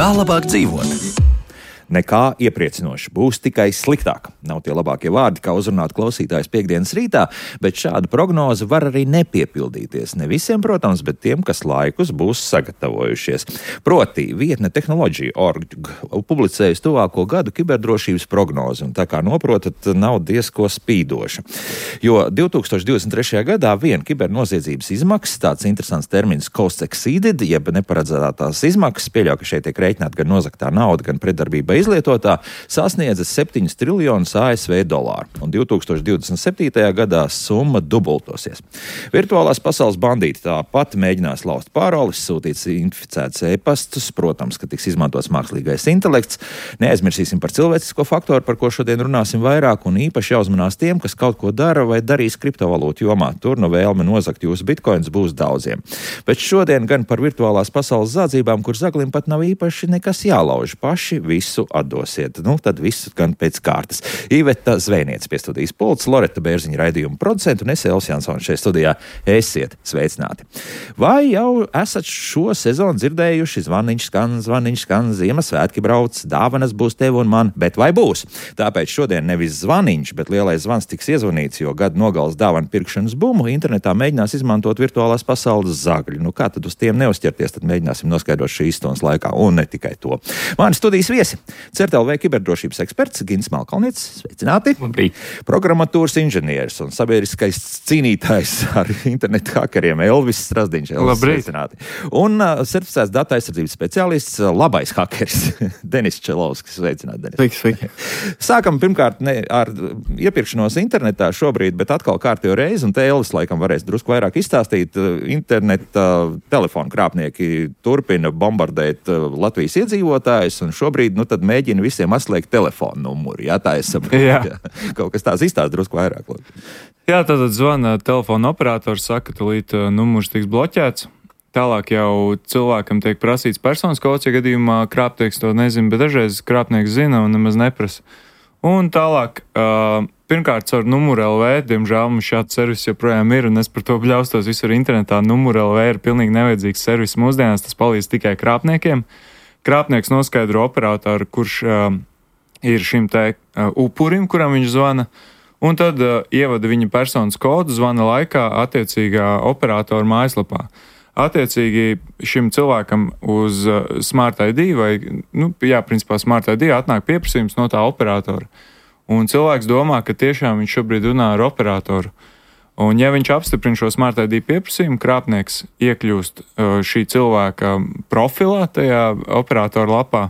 Kā labāk dzīvot? Nekā iepriecinoši, būs tikai sliktāk. Nav tie labākie vārdi, kā uzrunāt klausītājus piektdienas rītā, bet šāda prognoze var arī nepiepildīties. Ne visiem, protams, bet tiem, kas laikus būs sagatavojušies. Proti, vietne Tehnoloģija.org publicējusi tuvāko gadu kiberdrošības prognozi, un tā kā noprotat, nav diezko spīdoša. Jo 2023. gadā vien kibernoziedzības izmaksas, tāds interesants termins cost exceeded, jeb neparedzētās izmaksas, pieļauj, ka šeit tiek rēķināta gan nozaktā nauda, gan pretdarbība izlietotā, sasniedza 7 triljonus ASV dolāru, un 2027. gadā summa dubultosies. Virtuālās pasaules bandīti tāpat mēģinās lauzt paroles, sūtīt inficētus e-pastus, protams, ka tiks izmantots mākslīgais intelekts. Neaizmirsīsim par cilvēcisko faktoru, par ko šodien runāsim vairāk, un īpaši jāuzmanās tiem, kas kaut ko dara vai darīs kriptovalūtu jomā. Tur no vēlme nozagt jūsu bitkoins būs daudziem. Bet šodien gan par virtuālās pasaules zādzībām, kur zaglim pat nav īpaši nekas jālauž. Paši visu atdosiet. Tad viss gan pēc kārtas. Iveta Zvejniece pie studijas pults, Loreta Bērziņa raidījuma producenta un es Elvis Jansons šeit studijā. Esiet sveicināti. Vai jau esat šo sezonu dzirdējuši? Zvaniņš skan, Ziemassvētki brauc, dāvanas būs tev un man, bet vai būs? Tāpēc šodien nevis zvaniņš, bet lielais zvans tiks iezvanīts, jo gada nogales dāvanu pirkšanas bumu internetā mēģinās izmantot virtuālās pasaules zagļi. Kā tad uz tiem neuzķerties, tad mēģināsim noskaidrot šīs stundas laikā, un ne tikai to. Mani studijas viesi. CERT.LV kiberdrošības eksperts Gins Malkalnietis, sveicināti. Labrīt. Programmatūras inženieris un sabiedriskais cīnītājs ar internetu hakeriem Elvis Strazdiņš. Labrīt. Sveicināti. Un certificēts datu aizsardzības speciālists, labais hakeris Denis Čelovskis. Sveicināti, Denis. Sveiki. Sākam pirmkārt ar iepirkšanos internetā šobrīd, bet atkal kārtējo reizi, un te Elvis laikam varēs drusku vairāk izstāstīt. Interneta telefonu krāpnieki turpina bombardēt Latvijas iedzīvotājus, un šobrīd tad mēģina visiem atslēgt telefonu numuru. Jā, tā es saprotu. Jā. Kaut kas tās izstāsta drusku vairāk. Jā, tātad zvana telefona operators, saka, ka līdz numurs tiks bloķēts. Tālāk jau cilvēkam tiek prasīts personas kods, ja gadījumā krāpnieks to nezina, bet dažreiz krāpnieks zina un nemaz neprasa. Un tālāk, pirmkārt, caur numuru LV, diemžēl mums šāds servis joprojām ir, un es par to bļaustos visur internetā. Numuru LV ir pilnīgi nevajadzīgs servis mūsdienās, tas palīdz tikai krāpniekiem. Krāpnieks noskaidro operatoru, kurš ir šim te upurim, kuram viņš zvana, un tad ievada viņa personas kodu zvana laikā attiecīgā operatora mājaslapā. Attiecīgi šim cilvēkam uz Smart ID vai, principā Smart ID atnāk pieprasījums no tā operatora. Un cilvēks domā, ka tiešām viņš šobrīd runā ar operatoru. Un ja viņš apstiprina šo Smart ID pieprasījumu, krāpnieks iekļūst šī cilvēka profilā, tajā operatora lapā,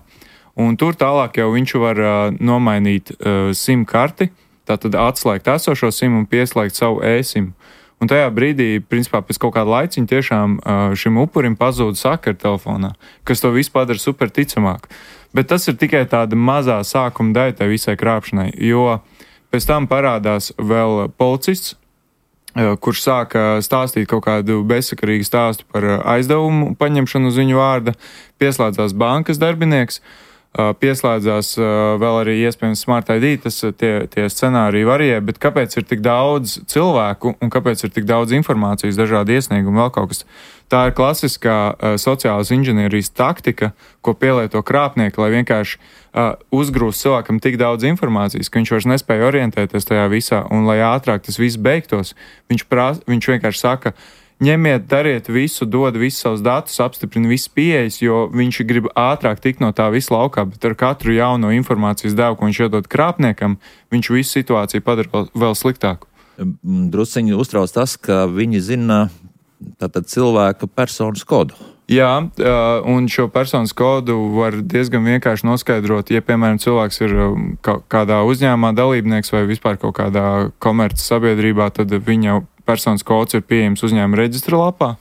un tur tālāk jau viņš var nomainīt SIM karti, tātad atslēgt esošo SIM un pieslēgt savu e-SIM. Un tajā brīdī, principā, pēc kaut kāda laiciņa tiešām šim upurim pazūd sakara telefonā, kas to visu padara super ticamāk. Bet tas ir tikai tāda mazā sākuma daļa tai visai krāpšanai, jo pēc tam parādās vēl policists, kurš sāka stāstīt kaut kādu bezsakarīgu stāstu par aizdevumu paņemšanu uz viņu vārda, pieslēdzās bankas darbinieks, pieslēdzās vēl arī iespējams Smart ID, tie scenāriji varīja, bet kāpēc ir tik daudz cilvēku un kāpēc ir tik daudz informācijas, dažādi iesniegumi, vēl kaut kas. Tā ir klasiskā sociālas inženierijas taktika, ko pielieto krāpnieki, lai vienkārši uzgrūst cilvēkam tik daudz informācijas, ka viņš vairs nespēja orientēties tajā visā, un lai ātrāk tas viss beigtos, viņš vienkārši saka, ņemiet, dariet visu, dod visus savus datus, apstiprina visas pieejas, jo viņš grib ātrāk tikt no tā visu laukā, bet ar katru jauno informācijas devu, ko viņš iedod krāpniekam, viņš visu situāciju padara vēl sliktāku. Drusciņi uztrauc tas, ka viņi zina tātad cilvēka personas kodu. Jā, un šo personas kodu var diezgan vienkārši noskaidrot, ja, piemēram, cilvēks ir kādā uzņēmumā dalībnieks vai vispār kaut kādā komerces sabiedrībā, tad viņa personas kods ir pieejams uzņēmuma reģistra lapā.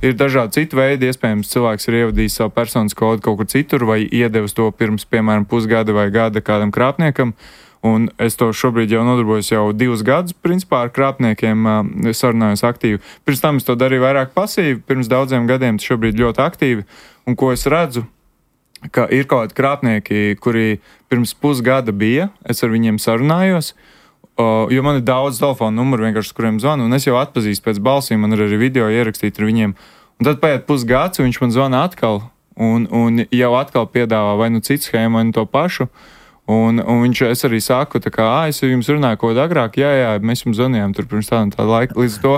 Ir dažādi citi veidi, iespējams, cilvēks ir ievadījis savu personas kodu kaut kur citur vai iedevis to pirms, piemēram, pusgada vai gada kādam krāpniekam. Un es to šobrīd jau nodarbojos jau 2 gadus, principā ar krāpniekiem sarunājos aktīvi. Pirms tam es to darīju vairāk pasīvi, pirms daudziem gadiem tas šobrīd ļoti aktīvi. Un ko es redzu, ka ir kaut kādi krāpnieki, kuri pirms pusgada bija, es ar viņiem sarunājos, jo man ir daudz telefonu numuru vienkārši, kuriem zvanu, un es jau atpazīstu pēc balsīm, man ir arī video ierakstīti ar viņiem. Un tad paiet pusgads, un viņš man zvana atkal, un jau atkal piedāvā vai nu citu schēmu, vai nu to pašu. Un es arī saku, es jums runāju kaut ko agrāk, jā, mēs jums zvanījām tur pirms tāda laika. Līdz to,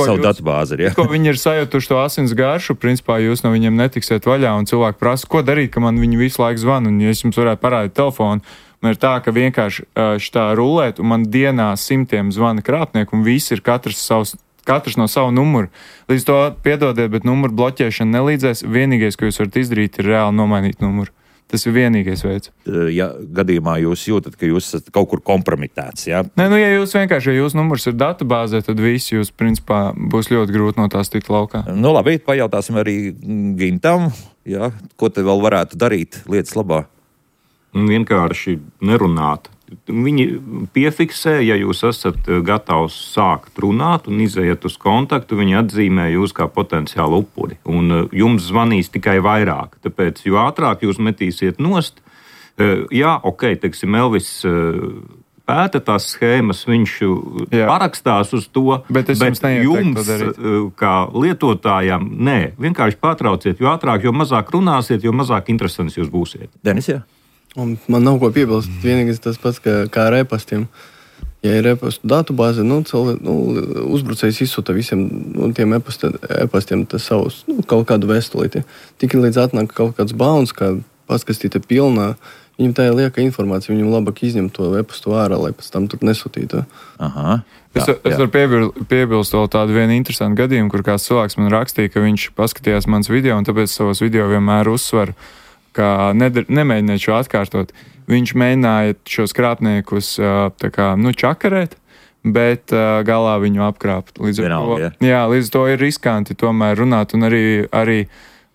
savu datubāzi ir, jā. Tikko viņi ir sajūtuši to asins garšu, principā jūs no viņiem netiksiet vaļā, un cilvēki prasa, ko darīt, ka man viņi visu laiku zvana, un ja es jums varētu parādīt telefonu, man ir tā, ka vienkārši šitā rulēt, un man dienā 100 zvana krāpnieku, un visi ir katrs no savu numuru. Līdz to piedodiet, bet numuru bloķēšana nelīdzēs. Vienīgais, ko jūs varat izdarīt, ir reāli nomainīt numuru. Tas ir vienīgais veids. Ja gadījumā jūs jūtat, ka jūs esat kaut kur kompromitēts, jā? Nē, ja jūsu numurs ir datubāzē, tad visi jūs, principā, būs ļoti grūti no tās tikt laukā. Nu, labi, pajautāsim arī Gintam, jā, ko te vēl varētu darīt lietas labā? Vienkārši nerunāt. Viņi piefiksē, ja jūs esat gatavs sākt runāt un izējat uz kontaktu, viņi atzīmē jūs kā potenciālu upuri. Un jums zvanīs tikai vairāk. Tāpēc, jo ātrāk jūs metīsiet nost, teiksim, Elvis pēta tās schēmas, viņš parakstās uz to, bet jums, kā lietotājam, nē, vienkārši pārtrauciet, jo ātrāk, jo mazāk runāsiet, jo mazāk interesants jūs būsiet. Denis, jā? Un man nav ko piebilst. Vienīgais tas pats, kā ar e-pastiem. Ja ir e-pastu datubāze, uzbrucējs izsūta visiem tiem e-pastiem savus kaut kādu vēstulīti. Tikai līdz atnāk kaut kāds bauns, kā paskastīte pilnā, viņam tā ir lieka informācija, viņam labāk izņemt to e-pastu ārā, lai pēc tam tur nesūtītu. Aha. Es varu piebilst vēl tādu vienu interesantu gadījumu, kur kāds cilvēks man rakstīja, ka viņš paskatījās mans video, un tāpēc savos video vienmēr uzsveru, ka nemēģiniet šo atkārtot. Viņš mēģināja šos krāpniekus čakarēt, bet galā viņu apkrāpt. Līdz to ir riskanti tomēr runāt, un arī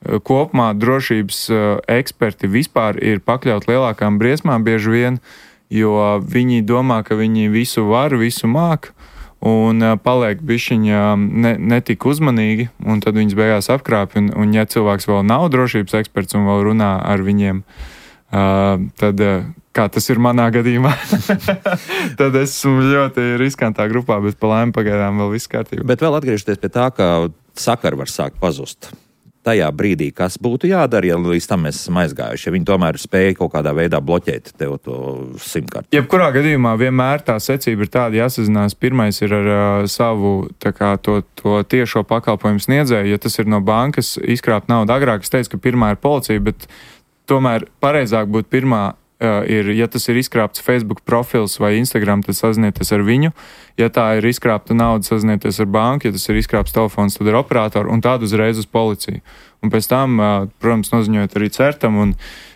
kopumā drošības eksperti vispār ir pakļaut lielākām briesmām bieži vien, jo viņi domā, ka viņi visu var, visu māk, un paliek bišķiņa netik uzmanīgi, un tad viņas beigās apkrāpj, un ja cilvēks vēl nav drošības eksperts un vēl runā ar viņiem, tad, kā tas ir manā gadījumā, tad esmu ļoti riskantā grupā, bet pa laimi pagaidām vēl viss kārtībā. Bet vēl atgriežoties pie tā, ka sakari var sākt pazust. Tajā brīdī, kas būtu jādara, ja līdz tam mēs esam aizgājuši, ja viņi tomēr spēja kaut kādā veidā bloķēt tev to 100-karti. Jebkurā gadījumā vienmēr tā secība ir tāda jāsazinās. Pirmais ir ar savu to tiešo pakalpojumu sniedzēju. Ja tas ir no bankas izkrāpt naudu agrāk, es teicu, ka pirmā ir policija, bet tomēr pareizāk būtu pirmā ja tas ir izkrāpts Facebook profils vai Instagram, tad sazinieties ar viņu. Ja tā ir izkrāpta nauda, sazinieties ar banku. Ja tas ir izkrāpts telefons, tad ir operātori un tādu uzreiz uz policiju. Un pēc tam, protams, noziņojot arī certam, un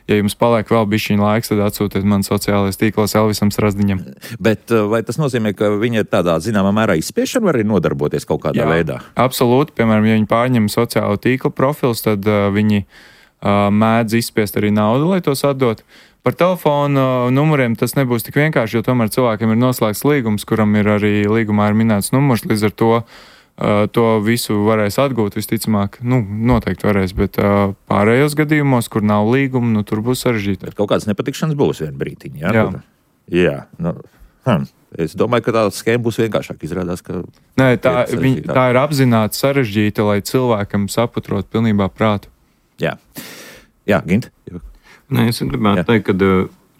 ja jums paliek vēl bišķiņa laiks, tad atsūtiet man sociālajos tīklos Elvisam Strazdiņam. Bet vai tas nozīmē, ka viņi ir tādā zināmā mērā izspiešana var arī nodarboties kaut kādā veidā? Absolūti. Piemēram, ja viņi pārņem sociālo tīklu profils, tad viņi mēdz izspiest arī naudu, lai tos atdot. Par telefonu numuriem tas nebūs tik vienkārši, jo tomēr cilvēkiem ir noslēgts līgums, kuram ir arī līgumā ir minēts numurs, līdz ar to visu varēs atgūt visticamāk. Noteikti varēs, bet pārējos gadījumos, kur nav līguma, tur būs sarežģīti. Bet kaut kādas nepatikšanas būs vien brītiņi, jā? Jā. Es domāju, ka tā schēma būs vienkāršāk izrādās, ka... Nē, tā ir apzināti sarežģīta, lai cilvēkam saputrot pilnībā prātu. Jā, Gint? Nē, es gribētu teikt, ka,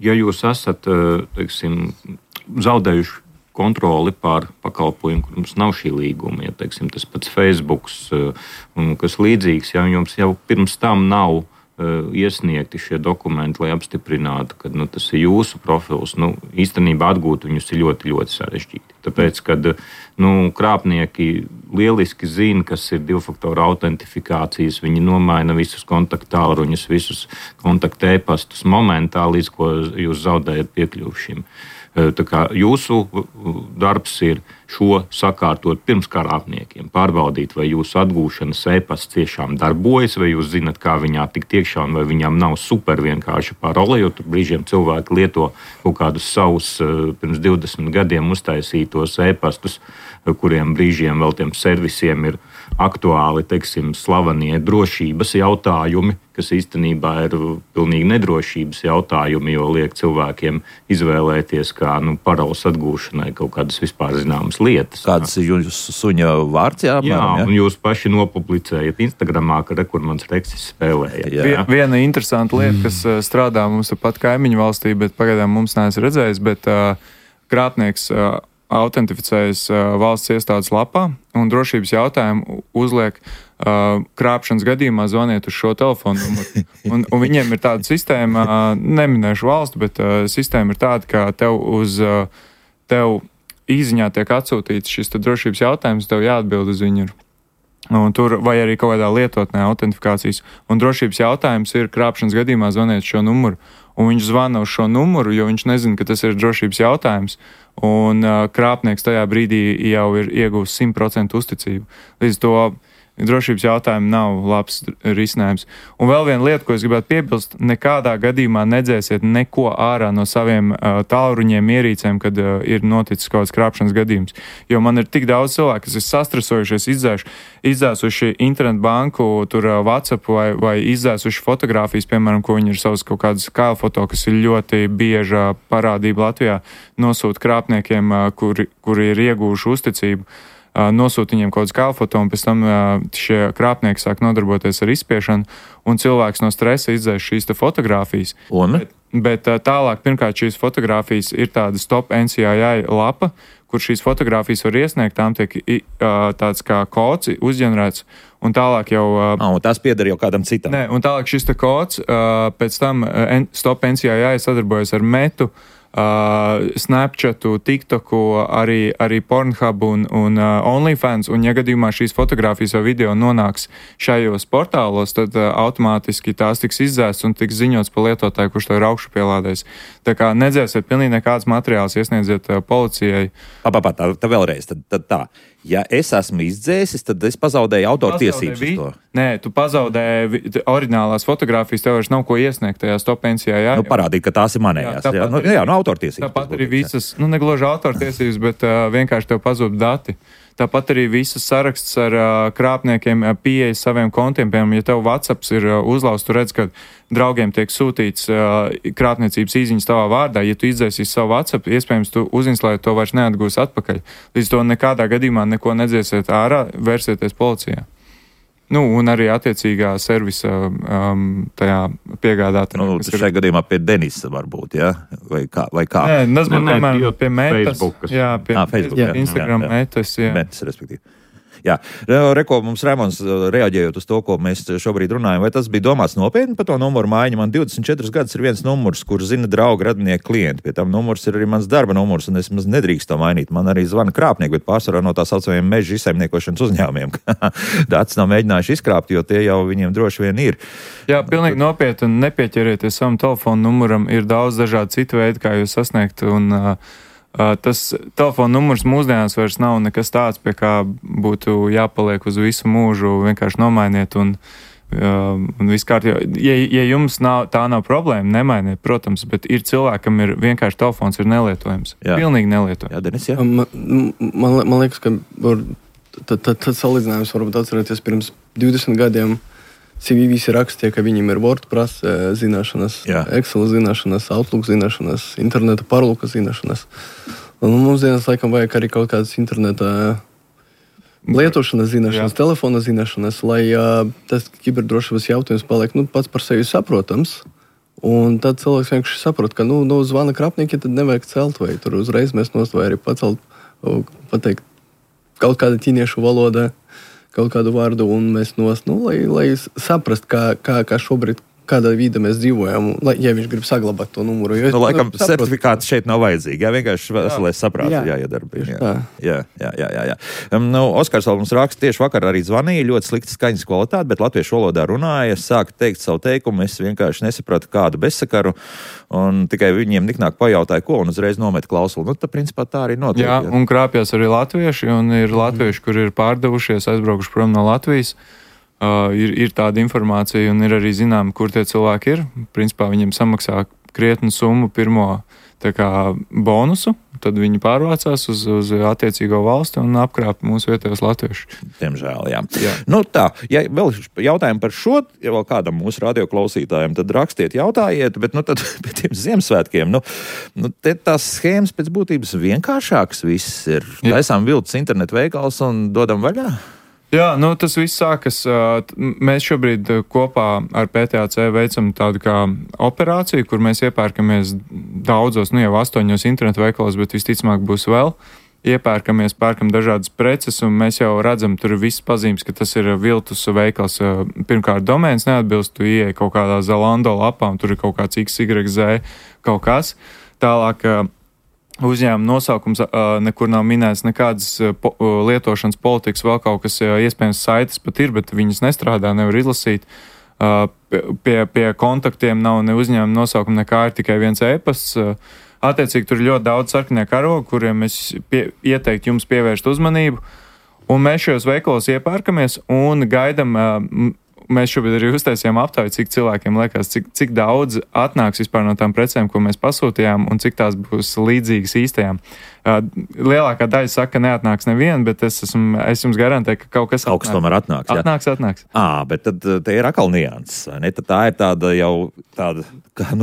ja jūs esat, teiksim, zaudējuši kontroli pār pakalpojumu, kur jums nav šī līguma, ja, teiksim, tas pats Facebooks un kas līdzīgs, ja jums jau pirms tam nav iesniegti šie dokumenti, lai apstiprinātu, ka tas ir jūsu profils, īstenībā atgūt viņus ir ļoti, ļoti sarežģīti. Tāpēc, kad krāpnieki lieliski zina, kas ir divfaktora autentifikācijas, viņi nomaina visus kontaktāluruņus, visus kontaktēpastus momentā, līdz ko jūs zaudējat piekļuvu šim. Tā kā jūsu darbs ir šo sakārtot pirms krāpniekiem, pārbaudīt, vai jūsu atgūšanas e-pasts tiešām darbojas, vai jūs zinat, kā viņā tikt iekšā, un vai viņam nav super vienkārši parole, jo tur brīžiem cilvēki lieto kaut kādus savus pirms 20 gadiem uztaisītos e-pastus, kuriem brīžiem vēl tiem servisiem ir aktuāli, teiksim, slavenie drošības jautājumi, kas īstenībā ir pilnīgi nedrošības jautājumi, jo liek cilvēkiem izvēlēties kā paroles atgūšanai kaut kādas vispār zināmas jums lietas. Kāds ir jūsu suņa vārds? Jā, un jūs paši nopublicējat Instagramā, kur mans reksis spēlēja. Viena interesanta lieta, kas strādā mums pat kaimiņu valstī, bet pagaidām mums neesmu redzējis, bet krāpnieks autentificējas valsts iestādes lapā un drošības jautājumu uzliek krāpšanas gadījumā zvaniet uz šo telefonu numuru. Un viņiem ir tāda sistēma, neminēšu valstu, bet sistēma ir tāda, ka tev īziņā tiek atsūtīts šis drošības jautājums, tev jāatbild uz viņu. Un tur vai arī kaut kādā lietotnē autentifikācijas. Un drošības jautājums ir krāpšanas gadījumā zvaniet šo numuru. Un viņš zvana uz šo numuru, jo viņš nezina, ka tas ir drošības jautājums. Un krāpnieks tajā brīdī jau ir iegūst 100% uzticību. Līdz to drošības jautājumi nav labs risinājums. Un vēl viena lieta, ko es gribētu piebilst, nekādā gadījumā nedzēsiet neko ārā no saviem tālruņiem, ierīcēm, kad ir noticis kaut kāds krāpšanas gadījums. Jo man ir tik daudz cilvēku, kas ir sastresojušies, izdzēsuši internetbanku, tur WhatsApp vai izdzēsuši fotogrāfijas, piemēram, ko viņi ir savas kaut kādas kailfoto, kas ir ļoti bieža parādība Latvijā, nosūta krāpniekiem, kuri ir ieguvuši uzticību. Nosūta viņiem kaut kāds kailfoto, un pēc tam šie krāpnieki sāk nodarboties ar izspiešanu, un cilvēks no stresa izdzēš šīs fotogrāfijas. Bet tālāk, pirmkārt, šīs fotogrāfijas ir tāda Stop NCII lapa, kur šīs fotogrāfijas var iesniegt, tām tiek tāds kā kods uzģenerēts, un tālāk jau... Un tās pieder jau kādam citam. Nē, un tālāk šis kods, pēc tam Stop NCII sadarbojas ar Metu, Snapchatu, TikToku, arī Pornhub un OnlyFans, un ja gadījumā šīs fotogrāfijas vai video nonāks šajos portālos, tad automātiski tās tiks izdzēsts un tiks ziņots par lietotāju, kurš to ir augšupielādējis. Tā kā nedzēsiet pilnīgi nekāds materiāls, iesniedziet policijai. Tā vēlreiz, tad tā. Ja es esmu izdzēsis, tad es pazaudēju autortiesības uz to. Nē, tu pazaudēji oriģinālās fotogrāfijas, tev vairs nav ko iesniegt tajā Stop NCII. Parādīt, ka tās ir manējās. Autortiesības. Tāpat arī visas, negluži autortiesības, bet vienkārši tev pazūd dati. Tāpat arī visas saraksts ar krāpniekiem pieejas saviem kontiem. Piemēram, ja tev WhatsApps ir uzlausts, tu redz, ka draugiem tiek sūtīts krāpniecības īziņas tavā vārdā. Ja tu izdzēsīsi savu WhatsApp, iespējams, tu uzinstalēt to vairs neatgūs atpakaļ. Līdz to nekādā gadījumā neko nedzēsiet ārā, vērsieties policijā. Un arī attiecīgā servisa tajā piegādātājā. Šajā gadījumā pie Denisa varbūt, ja? Vai kā? Nē, tas būtu, piemēram, pie Metas. Jā, pie Instagram Metas, jā. Metas, respektīvi. Jā, Reko, mums Rēmons reaģējot uz to, ko mēs šobrīd runājam, vai tas bija domāts nopietni par to numuru maiņu? Man 24 gadus ir viens numurs, kur zina draugi, radinieki, klienti. Pie tam numurs ir arī mans darba numurs, un es maz nedrīkst to mainīt. Man arī zvana krāpnieki, bet pārsvarā no tā saucamajiem meža izsaimniekošanas uzņēmumiem. Datus nav mēģinājuši izkrāpt, jo tie jau viņiem droši vien ir. Jā, pilnīgi nopietni, nepieķerieties savam telefonu numuram. Ir daudz dažādu citu veidu, kā jūs sasniegt, un tas telefona numurs mūsdienās vairs nav nekas tāds, pie kā būtu jāpaliek uz visu mūžu, vienkārši nomainiet un viss kārtībā. Ja jums tā nav problēma, nemainiet, protams, bet ir cilvēkam ir vienkārši telefons ir nelietojams. Jā. Pilnīgi nelietojams. Jā, Denis, jā. Man liekas, ka tad salīdzinājums varbūt atcerēties pirms 20 gadiem. CV visi rakstīja, ka viņiem ir WordPress zināšanas, Excel zināšanas, Outlook zināšanas, interneta parluka zināšanas. Un mums dienas laikam vajag arī kaut kādas interneta lietošanas zināšanas, telefona zināšanas, lai tas kiberdrošības jautājums paliek pats par sevi saprotams. Un tad cilvēks vienkārši saprot, ka zvana krāpnieki, tad nevajag celt vai tur uzreiz mēs vai arī pacelt, pateikt kaut kāda ķīniešu valoda, kaut kādu vārdu, un mēs lai saprast, kā šobrīd, kādā vidē mēs dzīvojam, ja viņš grib saglabāt to numuru. Laikam certifikāts šeit nav vajadzīgi, vienkārši veselais saprāts jāiedarbina. Jā. Oskars vēl mums raksta, tieši vakar arī zvanīja, ļoti slikta skaņas kvalitāte, bet latviešu valodā runāja, sāka teikt savu teikumu, es vienkārši nesapratu kādu bezsakaru, un tikai viņiem niknāk pajautāja, ko, un uzreiz nomet klausuli. Tad, principā, tā arī notiek. Jā, un krāpjas arī latvieši, un ir latvieši, kur ir pārdevušies, aizbraukuši prom no Latvijas. Ir tāda informācija, un ir arī zinām, kur tie cilvēki ir. Principā viņiem samaksā krietnu summu pirmo bonusu, tad viņi pārvācās uz attiecīgo valsti un apkrāpa mūsu vietējos latviešus. Diemžēl, jā. Nu tā, ja vēl jautājumi par šo, ja vēl kādam mūsu radioklausītājiem, tad rakstiet, jautājiet, bet tad pēc tiem Ziemassvētkiem, te tās schēmas pēc būtības vienkāršākas viss ir. Taisām viltus internetu veikals un dodam vaļā? Jā, tas viss sākas. Mēs šobrīd kopā ar PTAC veicam tādu kā operāciju, kur mēs iepērkamies daudzos, jau 8 internetu veikalos, bet visticamāk būs vēl. Iepērkamies, pērkam dažādas preces, un mēs jau redzam, tur ir viss pazīmes, ka tas ir viltus veikals. Pirmkārt, domēns neatbilst, tu ieej kaut kādā Zalando lapā, un tur ir kaut kāds XYZ kaut kas. Tālāk, uzņēmuma nosaukums nekur nav minēts, nekādas lietošanas politikas, vēl kaut kas, iespējams, saites pat ir, bet viņas nestrādā, nevar izlasīt. Pie kontaktiem nav ne uzņēmuma nosaukuma, nekā ir tikai viens e-pasts. Attiecīgi, tur ir ļoti daudz sarkanie karogi, kuriem es ieteiktu jums pievērst uzmanību. Un mēs šajos veikalos iepērkamies un gaidam. Mēs šobrīd arī uztaisījām aptauju, cik cilvēkiem liekas, cik daudz atnāks vispār no tām precēm, ko mēs pasūtījām, un cik tās būs līdzīgas īstajām. Lielākā daļa saka, ka neatnāks neviena, bet es jums garantēju, ka kaut kas atnāks. Tomēr atnāks. Atnāks. Bet tad te ir atkal nianses, vai ne? Tad tā ir tāda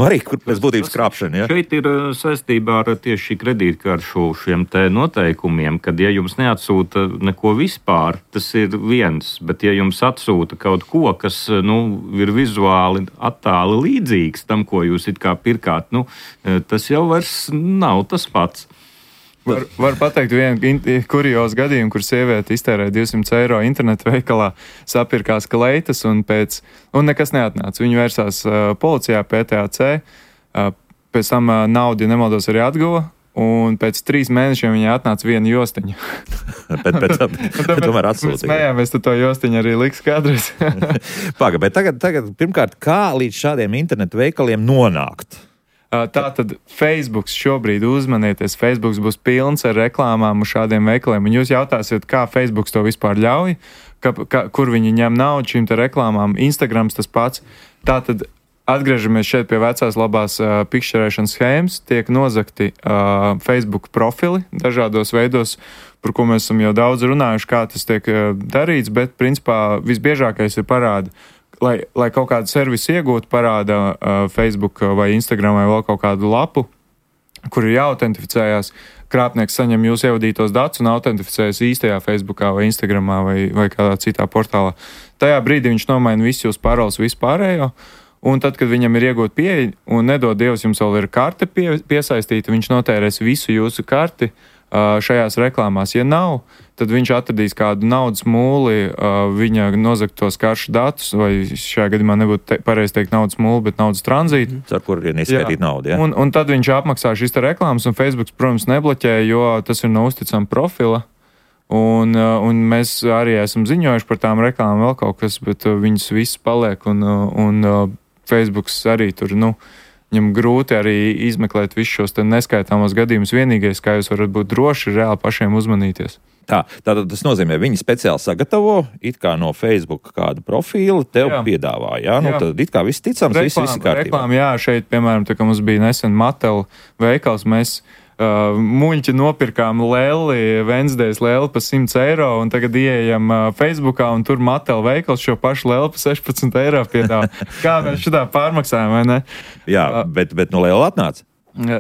arī, kur pēc būtības krāpšana, ja? Šeit ir saistībā ar tieši kredītkaršu šiem te noteikumiem, kad ja jums neatsūta neko vispār, tas ir viens, bet ja jums atsūta kaut ko, kas ir vizuāli attāli līdzīgs tam, ko jūs it kā pirkāt, tas jau vairs nav tas pats. Var pateikt vienu kuriozu gadījumu, kur sieviete iztērēja 200 eiro internetu veikalā, sapirkās kleitas un nekas neatnāca. Viņi vērsās policijā, PTAC, pēc tam naudu, ja nemaldos, arī atguva. Un pēc 3 mēnešiem viņai atnāca viena jostiņa. bet tomēr atsūtīja. Mēs smējāmies, tu to jostiņu arī liks kādreiz. Paga, bet tagad pirmkārt, kā līdz šādiem internetu veikaliem nonākt? Tātad Facebooks šobrīd uzmanieties. Facebooks būs pilns ar reklāmām uz šādiem veikaliem. Un jūs jautāsiet, kā Facebooks to vispār ļauj, kur viņi ņem naudu šīm te reklāmām. Instagrams tas pats. Tātad atgriežamies šeit pie vecās labās pikšķerēšanas schēmas. Tiek nozagti Facebook profili dažādos veidos, par ko mēs esam jau daudz runājuši, kā tas tiek darīts, bet principā visbiežākais ir parāda. Lai kaut kādu servisu iegūtu, parāda Facebook vai Instagram vai vēl kaut kādu lapu, kur ir jāautentificējās. Krāpnieks saņem jūsu ievadītos datus un autentificējas īstajā Facebookā vai Instagramā vai kādā citā portālā. Tajā brīdī viņš nomaina visu jūsu paroles, visu pārējo, un tad, kad viņam ir iegūt pieeja un nedod Dievs, jums vēl ir karte piesaistīta, viņš notērēs visu jūsu karti šajās reklāmās. Ja nav, tad viņš atradīs kādu naudas mūli, viņa nozagtos karšu datus, vai šajā gadījumā nebūtu pareizi teikt naudas mūli, bet naudas tranzītu. Ar kur ir neskaitīt naudu, ja? Un tad viņš apmaksā šīs reklāmas, un Facebooks, protams, nebloķē, jo tas ir no uzticama profila. Un mēs arī esam ziņojuši par tām reklāmām vēl kaut kas, bet viņas viss paliek, un Facebooks arī tur, viņam grūti arī izmeklēt visus šos neskaitāmos gadījumus. Vienīgais, kā jūs varat būt droši, ir reāli pašiem uzmanīties. Tātad tas nozīmē, viņi speciāli sagatavo it kā no Facebook kādu profilu, tev piedāvā, jā? Tad it kā viss ticams, viss kārtībā. Reklāma, jā, šeit, piemēram, tā kā mums bija nesen Mattel veikals, mēs muļķi nopirkām lēli, Wednesdays lēli pa 100 eiro, un tagad ieejam Facebookā, un tur Mattel veikals šo pašu lēli pa 16 eiro piedāvā. Kā mēs šitā pārmaksājam, vai ne? Jā, bet no lēla atnāca.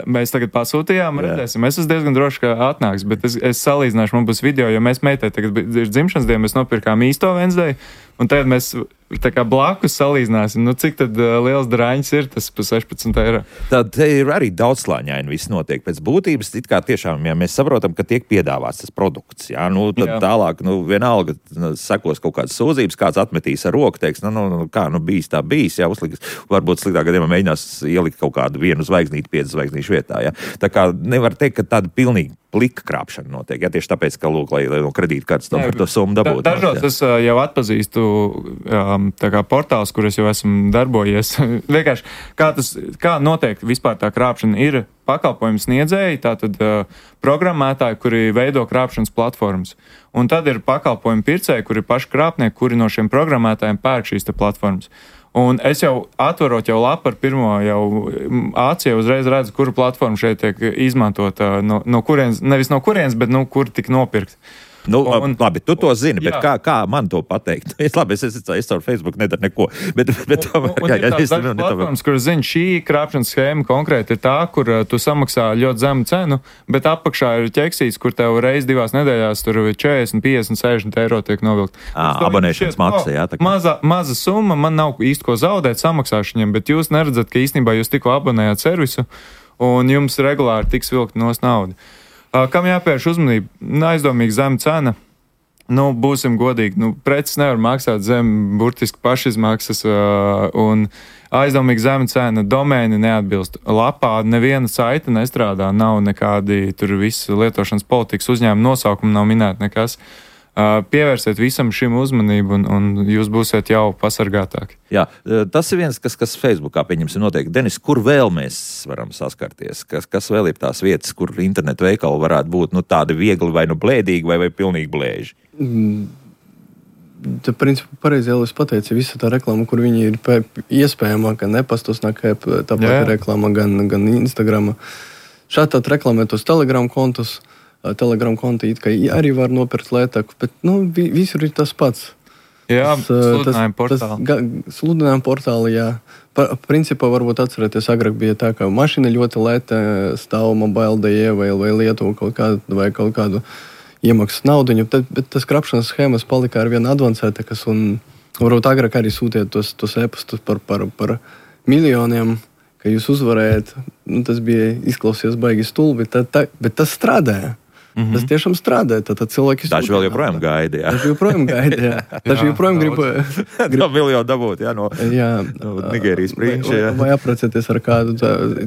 Mēs tagad pasūtījām, redzēsim. Es esmu diezgan droši, ka atnāks, bet es salīdzināšu, man būs video, jo mēs meitai tagad ir dzimšanas diena, mēs nopirkām īsto Wednesday, un tagad mēs tā kā blakus salīdzināsim, cik tad liels drāņas ir tas pa 16 eiro. Tad te ir arī daudzslāņaini viss notiek. Pēc būtības, it kā tiešām, ja mēs saprotam, ka tiek piedāvāts tas produkts, jā, tad tālāk, vienalga sekos kaut kādas sūdzības, kāds atmetīs ar roku, teiks, bijis tā bijis, jā, uzliks, varbūt sliktā gadījumā mēģinās ielikt kaut kādu vienu zvaigznīti 5 zvaigznīšu vietā, jā. Tā kā nevar teikt, ka tāda pilnīgi plika krāpšana notiek, jā, tieši tāpēc, ka, lai no kredītkartes par to summu dabūtu. Dažos es jau atpazīstu tā kā portāls, kur es jau esmu darbojies. Vienkārši, kā notiek vispār tā krāpšana, ir pakalpojumu sniedzēji, tātad programmētāji, kuri veido krāpšanas platformas. Un tad ir pakalpojumu pircēji, kuri ir paši krāpnieki, kuri no šiem programmētājiem pērk šīs te platformas. Un es jau atverot jau lapu ar pirmo jau acī, uzreiz redzu, kura platforma šeit tiek izmantota, no kurienes, nevis no kurienes, bet kur tik nopirkt. Labi, tu to zini, bet kā man to pateikt? Labi, es caur Facebook nedaru neko. Bet ir tādas platformas, kur zini, šī krāpšanas schēma konkrēti ir tā, kur tu samaksā ļoti zemu cenu, bet apakšā ir ķeksīts, kur tev reiz 2 nedēļās tur 40, 50, 60 eiro tiek novilkt. Abonēšanas maksa, jā. Maza summa, man nav īsti ko zaudēt samaksāšaniem, bet jūs neredzat, ka īstenībā jūs tikko abonējāt servisu un jums regulāri tiks vilkt nos naudu. Kam jāpievērš uzmanība? Aizdomīgi zema cena. Būsim godīgi, preces nevar maksāt zem burtiski pašizmaksas un aizdomīgi zema cena, domēni neatbilst. Lapā neviena saite nestrādā, nav nekādi tur visi lietošanas politikas uzņēmuma nosaukumi, nav minēti nekas. Pievērsiet visam šim uzmanību un jūs būsiet jau pasargātāki. Jā, tas ir viens, kas Facebookā pieņemsim noteikti. Denis, kur vēl mēs varam saskarties? Kas vēl ir tās vietas, kur internetu veikali varētu būt tādi viegli vai blēdīgi vai pilnīgi blēži? Tā principā pareizi jau es pateicu, visa tā reklāma, kur viņi ir iespējamā, gan e-pastos nāk tāpat reklāma, gan Instagrama. Šādi tā reklamē tos Telegram kontus. Telegram konti arī var nopirkt lētāku, bet visur ir tas pats. Jā, sludinājuma portāli. Sludinājuma portāli, jā. Principā varbūt atcerēties, agrāk bija tā, ka mašīna ļoti lēta stāv Mobile.de vai Lietuva kaut kādu iemaksas naudiņu, bet tas krāpšanas schēmas palika arvien advancētākas un varbūt agrāk arī sūtiet tos e-pastus par miljoniem, ka jūs uzvarējat. Tas bija izklausies baigi stulbi, bet tas strādāja. Tas tiešām strādāja. Tad cilvēki daži vēl joprojām gaida. Daži joprojām grib miljonu dabūt no Nigērijas prinča. Vai apprecēties ar kādu.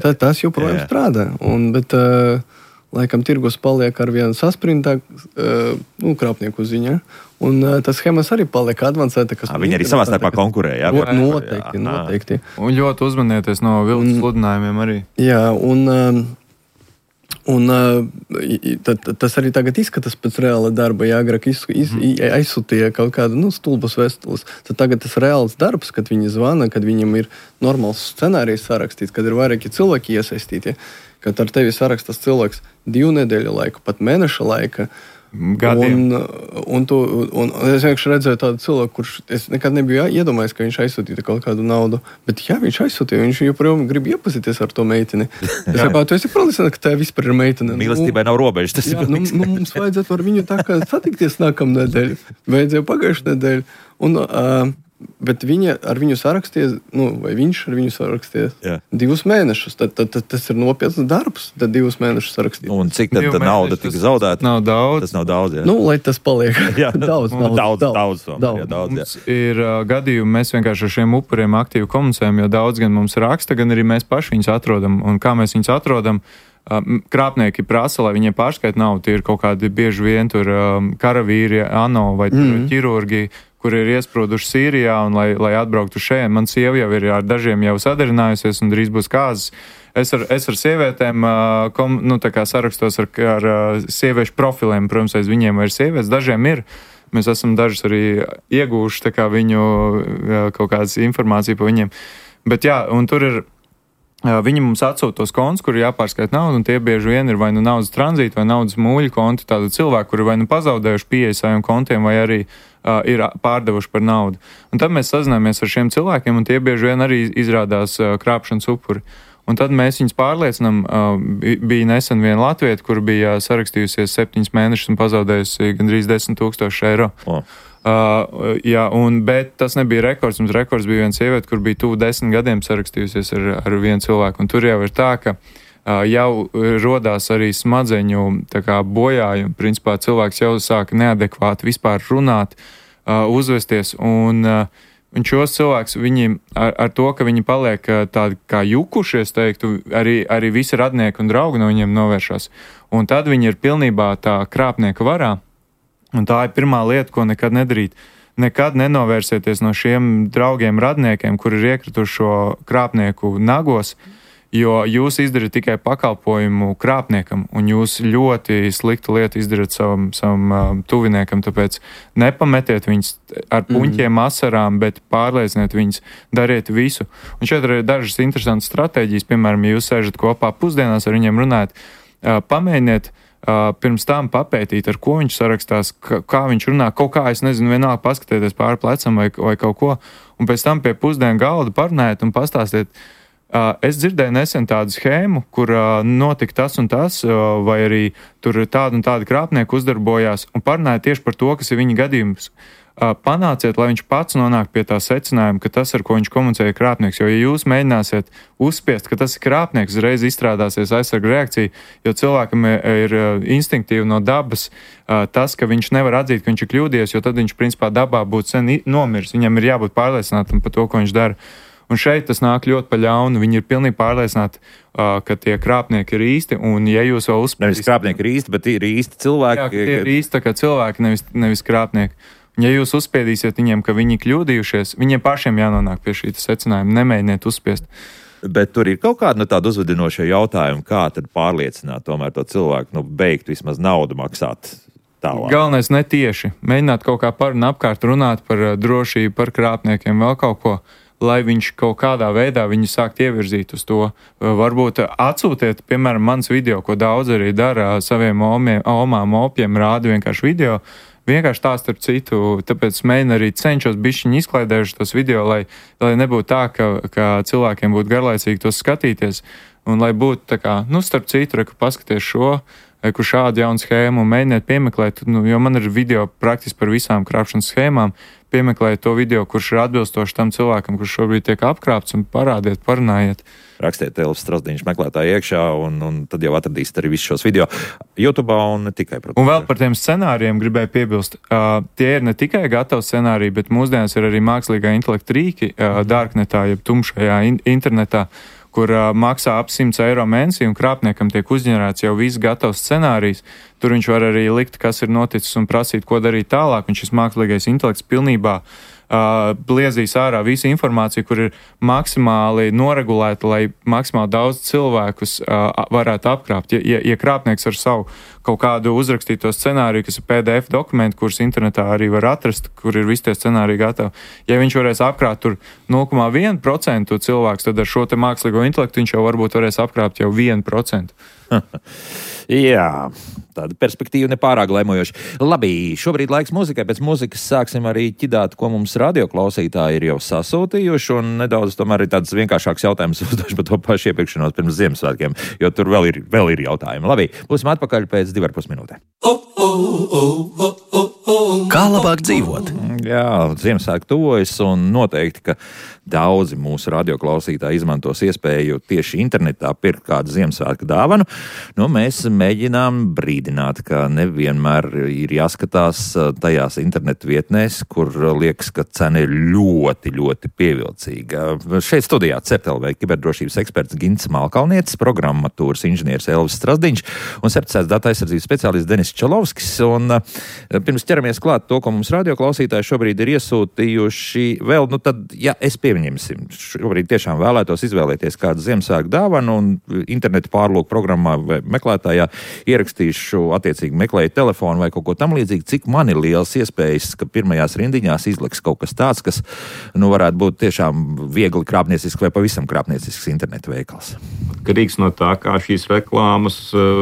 Tas joprojām strādā. Bet laikam tirgus paliek arvien saspringtāk krāpnieku ziņā. Un tas schēmas arī paliek advancētākas. Viņi arī savā starpā konkurē. Noteikti. Un ļoti uzmanieties no viltus sludinājumiem arī. Jā, un tas arī tagad izskatās pēc reāla darba. Ja agrāk aizsūtīja kaut kādu stulbas vēstules, tad tagad tas reāls darbs, kad viņi zvana, kad viņam ir normāls scenārijs sarakstīts, kad ir vairāki cilvēki iesaistīti, kad ar tevi sarakstas cilvēks 2 nedēļu laiku, pat mēneša laika. Gadiem. Un es vienkārši redzēju tādu cilvēku, kurš es nekad nebiju iedomājies, ka viņš aizsūtīja kaut kādu naudu. Bet jā, viņš aizsūtīja, viņš joprojām grib iepazīties ar to meiteni. Es saku, tu esi pārliecināts, ka tā vispār ir meitene. Mīlestībai nav robežas. Tas jā, mums vajadzētu ar viņu tā kā satikties nākamnedēļ. Vajadzēja pagājušu nedēļu. Bet viņa ar viņu saraksties, vai viņš ar viņu saraksties 2 mēnešus. Tad tas ir nopietns darbs, tad 2 mēnešus sarakstīt. Un cik tad nauda tika zaudēta? Nav daudz. Tas nav daudz, jā. Lai tas paliek. Daudz. Mums ir gadījumi, mēs vienkārši ar šiem upuriem aktīvi komunicējam, jo daudz gan mums raksta, gan arī mēs paši viņus atrodam. Un kā mēs viņus atrodam? Krāpnieki prasa, lai viņiem pārskait naudu. Tie ir kaut kādi bieži vien tur karavīri, ANO vai ķirurgi, kuri ir iesprūduši Sīrijā un lai atbrauktu šeit. Man sieva jau ir ar dažiem jau sadarinājusies un drīz būs kāzas. Es ar sievietēm sarakstos ar sieviešu profiliem. Protams, aiz viņiem ir sievietes, dažiem ir. Mēs esam dažus arī iegūši viņu kaut kādas informāciju par viņiem. Bet jā, un tur ir viņi mums atsūta tos kontus, kur ir jāpārskait naudu, un tie bieži vien ir vai naudas tranzīta, vai naudas mūļu konti, tādu cilvēku, kuri vai pazaudējuši pieeja saviem kontiem, vai arī ir pārdevuši par naudu. Un tad mēs sazināmies ar šiem cilvēkiem, un tie bieži vien arī izrādās krāpšanas upuri. Un tad mēs viņus pārliecinām, bija nesen viena latvieta, kur bija sarakstījusies 7 mēnešus un pazaudējusi gandrīz 10 000 eiro. Bet tas nebija rekords. Mums rekords bija viena sieviete, kur bija tuvu 10 gadiem sarakstījusies ar vienu cilvēku. Un tur jau ir tā, ka jau rodās arī smadzeņu bojājumi. Principā cilvēks jau sāka neadekvāti vispār runāt, uzvesties. Un šos cilvēkus, viņi ar to, ka viņi paliek tādi kā jukuši, es teiktu, arī visi radnieki un draugi no viņiem novēršas. Un tad viņi ir pilnībā tā krāpnieka varā. Un tā ir pirmā lieta, ko nekad nedarīt. Nekad nenovērsieties no šiem draugiem radniekiem, kuri ir iekrituši šo krāpnieku nagos, jo jūs izdarat tikai pakalpojumu krāpniekam, un jūs ļoti sliktu lietu izdarat savam tuviniekam, tāpēc nepametiet viņus ar puņķiem, asarām, bet pārlieciniet viņus, dariet visu. Un šeit ir dažas interesantas stratēģijas, piemēram, ja jūs sēžat kopā pusdienās ar viņiem runājat, pamēģiniet pirms tam papētīt, ar ko viņš sarakstās, kā viņš runā, kaut kā, es nezinu, vienalga paskatieties pāri plecam vai kaut ko, un pēc tam pie pusdienu galda parunājiet un pastāstiet. Es dzirdēju nesen tādu schēmu, kur notika tas un tas, vai arī tur tāda un tāda krāpnieka uzdarbojās, un parunājiet tieši par to, kas ir viņa gadījums. Panāciet, lai viņš pats nonāk pie tā secinājuma, ka tas, ar ko viņš komunicēja, ir krāpnieks. Jo, ja jūs mēģināsiet uzspiest, ka tas ir krāpnieks, uzreiz izstrādāsies aizsarga reakcija, jo cilvēkam ir instinktīvi no dabas tas, ka viņš nevar atzīt, ka viņš ir kļūdījies, jo tad viņš, principā, dabā būtu sen nomiris. Viņam ir jābūt pārliecinātam par to, ko viņš dara. Un šeit tas nāk ļoti pa ļaunu. Viņi ir pilnīgi pārliecināti, ka tie krāpnieki ir īsti, un ja jūs vēl uzspiest... Nevis krāpnieki ir īsti, bet ir īsti cilvēki. Jā, tie ir īsti tā kā cilvēki, nevis krāpnieki. Ja jūs uzspiedīsiet viņiem, ka viņi kļūdījušies, viņiem pašiem jānonāk pie šī secinājuma, nemēģiniet uzspiest. Bet tur ir kaut kāda tāda uzvedinoša jautājuma, kā tad pārliecināt tomēr to cilvēku, beigt vismaz naudu maksāt tālāk. Galvenais netieši. Mēģināt kaut kā par un apkārt runāt par drošību, par krāpniekiem, vēl kaut ko, lai viņš kaut kādā veidā viņu sākt ievirzīt uz to. Varbūt atsūtiet, piemēram, mans video, ko daudz arī dara saviem omām, opiem, rāda vienkārši video. Vienkārši tā starp citu, tāpēc mēģinu arī cenšos bišķiņi izklaidējuši tos video, lai nebūtu tā, ka cilvēkiem būtu garlaicīgi tos skatīties, un lai būtu tā kā, starp citu, ka paskaties šo, kur šādu jaunu schēmu un mēģiniet piemeklēt, jo man ir video praktiski par visām krāpšanas schēmām, piemeklēt to video, kurš ir atbilstoši tam cilvēkam, kurš šobrīd tiek apkrāpts, un parādiet, parunājiet. Rakstiet Elvis Strasdiņš meklētāji iekšā, un tad jau atradīsiet arī visus šos video YouTube un ne tikai. Protams. Un vēl par tiem scenārijiem gribēju piebilst. Tie ir ne tikai gatavi scenāriji, bet mūsdienās ir arī mākslīgā intelekta rīki darknetā, jeb tumšajā internetā, kur maksā ap 100 eiro mēnesī, un krāpniekam tiek uzģenerēts jau viss gatavs scenārijs. Tur viņš var arī likt, kas ir noticis, un prasīt, ko darīt tālāk, un šis mākslīgais intelekts pilnībā bliezīs ārā visu informāciju, kur ir maksimāli noregulēta, lai maksimāli daudz cilvēkus varētu apkrāpt. Ja krāpnieks ar savu kaut kādu uzrakstīto scenāriju, kas ir PDF dokumenti, kurus internetā arī var atrast, kur ir visi tie scenāriji gatavi, ja viņš varēs apkrāpt tur 0,1% cilvēks, tad ar šo te mākslīgo intelektu viņš jau varbūt varēs apkrāpt jau 1%. Jā, tāda perspektīva nepārāk laimojoša. Labi, šobrīd laiks muzikai. Pēc muzikas sāksim arī ķidāt, ko mums radioklausītāji ir jau sasūtījuši, un nedaudz tomēr ir tāds vienkāršāks jautājums uzdošu par to pašu iepirkšanos pirms Ziemassvētkiem, jo tur vēl ir jautājumi. Labi, būsim atpakaļ pēc 2,5 minūtēm. Kā labāk dzīvot? Jā, Ziemassvētki tuvojas, un noteikti, ka daudzi mūsu radioklausītāji izmantos iespēju tieši internetā pirkt kādu Ziemassvētku dāvanu. Mēs mēģinām brīdināt, ka nevienmēr ir jāskatās tajās internetu vietnēs, kur liekas, ka cena ir ļoti, ļoti pievilcīga. Šeit studijā CERT.LV kiberdrošības eksperts Gints Malkalnietis, programmatūras inženieris Elvis Strasdiņš un certificēts datu aizsardzības speciālists Denis Čalovskis. Un pirms ķeramies klāt to, ko mums radioklausītāji šobrīd ir iesūtījuši, vēl, tad, ja es pieņemsim, šobrīd tiešām vēlētos izvēlēties kādu Ziemassvētku dāvanu un internetu pārlūku programmā vai meklētājā ierakstīšu attiecīgi meklēju telefonu vai kaut ko tam līdzīgi, cik man ir liels iespējas, ka pirmajās rindiņās izliks kaut kas tāds, kas, varētu būt tiešām viegli krāpniecisks vai pavisam krāpniecisks internetu veikals. Atkarīgs no tā, kā šīs reklāmas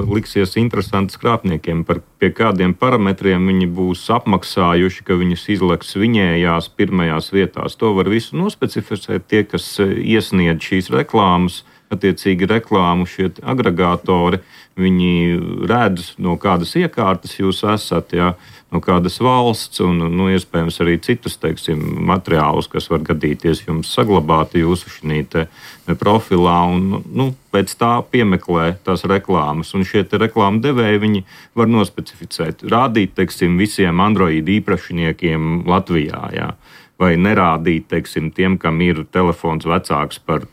liksies interesantas krāpniekiem, pie kādiem parametriem viņi būs apmaksājuši, ka viņus izleks viņējās pirmajās vietās. To var visu nospecificēt tie, kas iesniedz šīs reklāmas. Attiecīgi reklāmu šie agregātori, viņi redz, no kādas iekārtas jūs esat, no kādas valsts un, iespējams arī citus, materiālus, kas var gadīties jums saglabāti jūsu šī profilā un, pēc tā piemeklē tās reklāmas. Un šie reklāmu devēji, viņi var nospecificēt, rādīt, visiem Android īpašniekiem Latvijā, vai nerādīt, tiem, kam ir telefons vecāks par,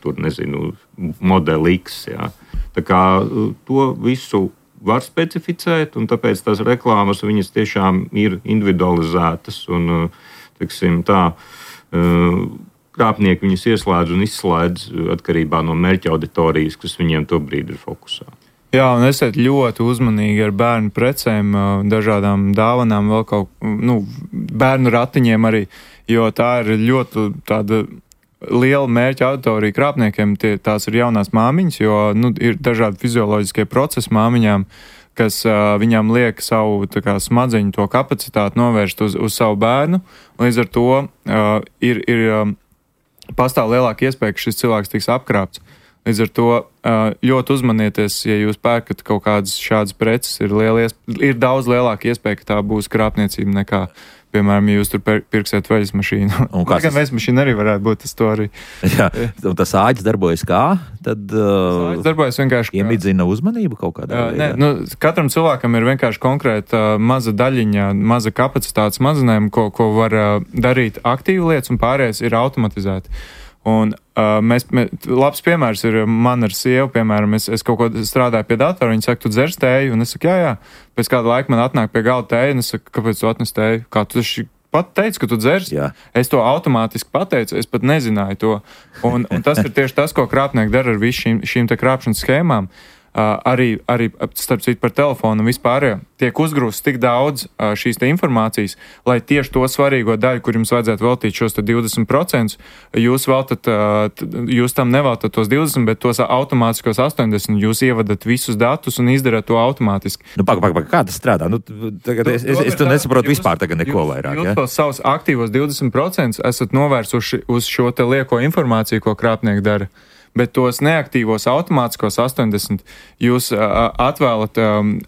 modeli X. Tā kā to visu var specificēt, un tāpēc tās reklāmas, viņas tiešām ir individualizētas un, krāpnieki viņus ieslēdz un izslēdz atkarībā no mērķa auditorijas, kas viņiem to brīdi ir fokusā. Jā, un esiet ļoti uzmanīgi ar bērnu precēm, dažādām dāvanām, vēl bērnu ratiņiem arī, jo tā ir ļoti tāda liela mērķa auditorija krāpniekiem. Tās ir jaunās māmiņas, jo ir dažādi fizioloģiskie procesi māmiņām, kas viņām liek savu smadzeņu to kapacitāti novērst uz savu bērnu. Līdz ar to pastāv lielāka iespēja, ka šis cilvēks tiks apkrāpts. Līdz ar to ļoti uzmanieties, ja jūs pērkat kaut kādas šādas preces, ir daudz lielāka iespēja, ka tā būs krāpniecība nekā, piemēram, ja jūs tur pirksiet veļas mašīnu. Gan veļas mašīna arī varētu būt tas to arī. Jā, un tas āķis darbojas kā? Tad āķis darbojas vienkārši iemidzina uzmanību kaut kādā veidā? Katram cilvēkam ir vienkārši konkrēta maza daļiņa, maza kapacitāte smadzenēm, ko var darīt aktīvi lietas, un pārējais ir automatizēti. Un labs piemērs ir man ar sievu, piemēram, es kaut ko strādāju pie datora, viņa saka, tu dzers tēju, un es saku, jā, pēc kāda laika man atnāk pie galda tēju, un es saku, kāpēc tu atnes tēju? Kā tu pat teici, ka tu dzers? Jā. Es to automātiski pateicu, es pat nezināju to. Un tas ir tieši tas, ko krāpnieki dara ar visu šīm te krāpšanas schēmām. Arī starp citu par telefonu un vispār tiek uzgrūsts tik daudz šīs te informācijas, lai tieši to svarīgo daļu, kur jums vajadzētu veltīt šos 20%, jūs tam neveltat tos 20%, bet tos automātiskos 80%, jūs ievadat visus datus un izdarat to automātiski. Kā tas strādā? Tagad es nesaprotu vispār tagad neko vairāk. Jūs tos savus aktīvos 20% esat novērsuši uz šo te lieko informāciju, ko krāpnieki dara. Bet tos neaktīvos automātiskos 80% jūs atvēlat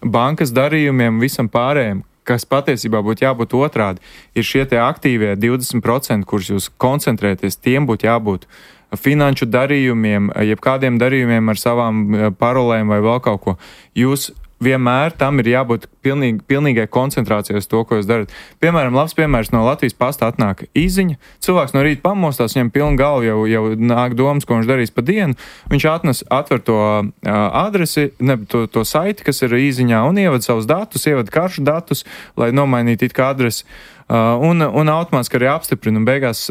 bankas darījumiem visam pārējiem, kas patiesībā būtu jābūt otrādi. Ir šie tie aktīvie 20%, kurus jūs koncentrēties, tiem būtu jābūt finanšu darījumiem, jebkādiem darījumiem ar savām parolēm vai vēl kaut ko. Jūs vienmēr tam ir jābūt pilnīgai koncentrācijai uz to, ko jūs darat. Piemēram, labs piemērs no Latvijas pasta atnāk īziņa. Cilvēks no rīta pamostās, viņam pilna galva jau nāk domas, ko viņš darīs pa dienu. Viņš atver to adresi, to saiti, kas ir īziņā, un ievada savus datus, ievada karšu datus, lai nomainītu it kā adresi. Un automātiski arī apstiprina, un beigās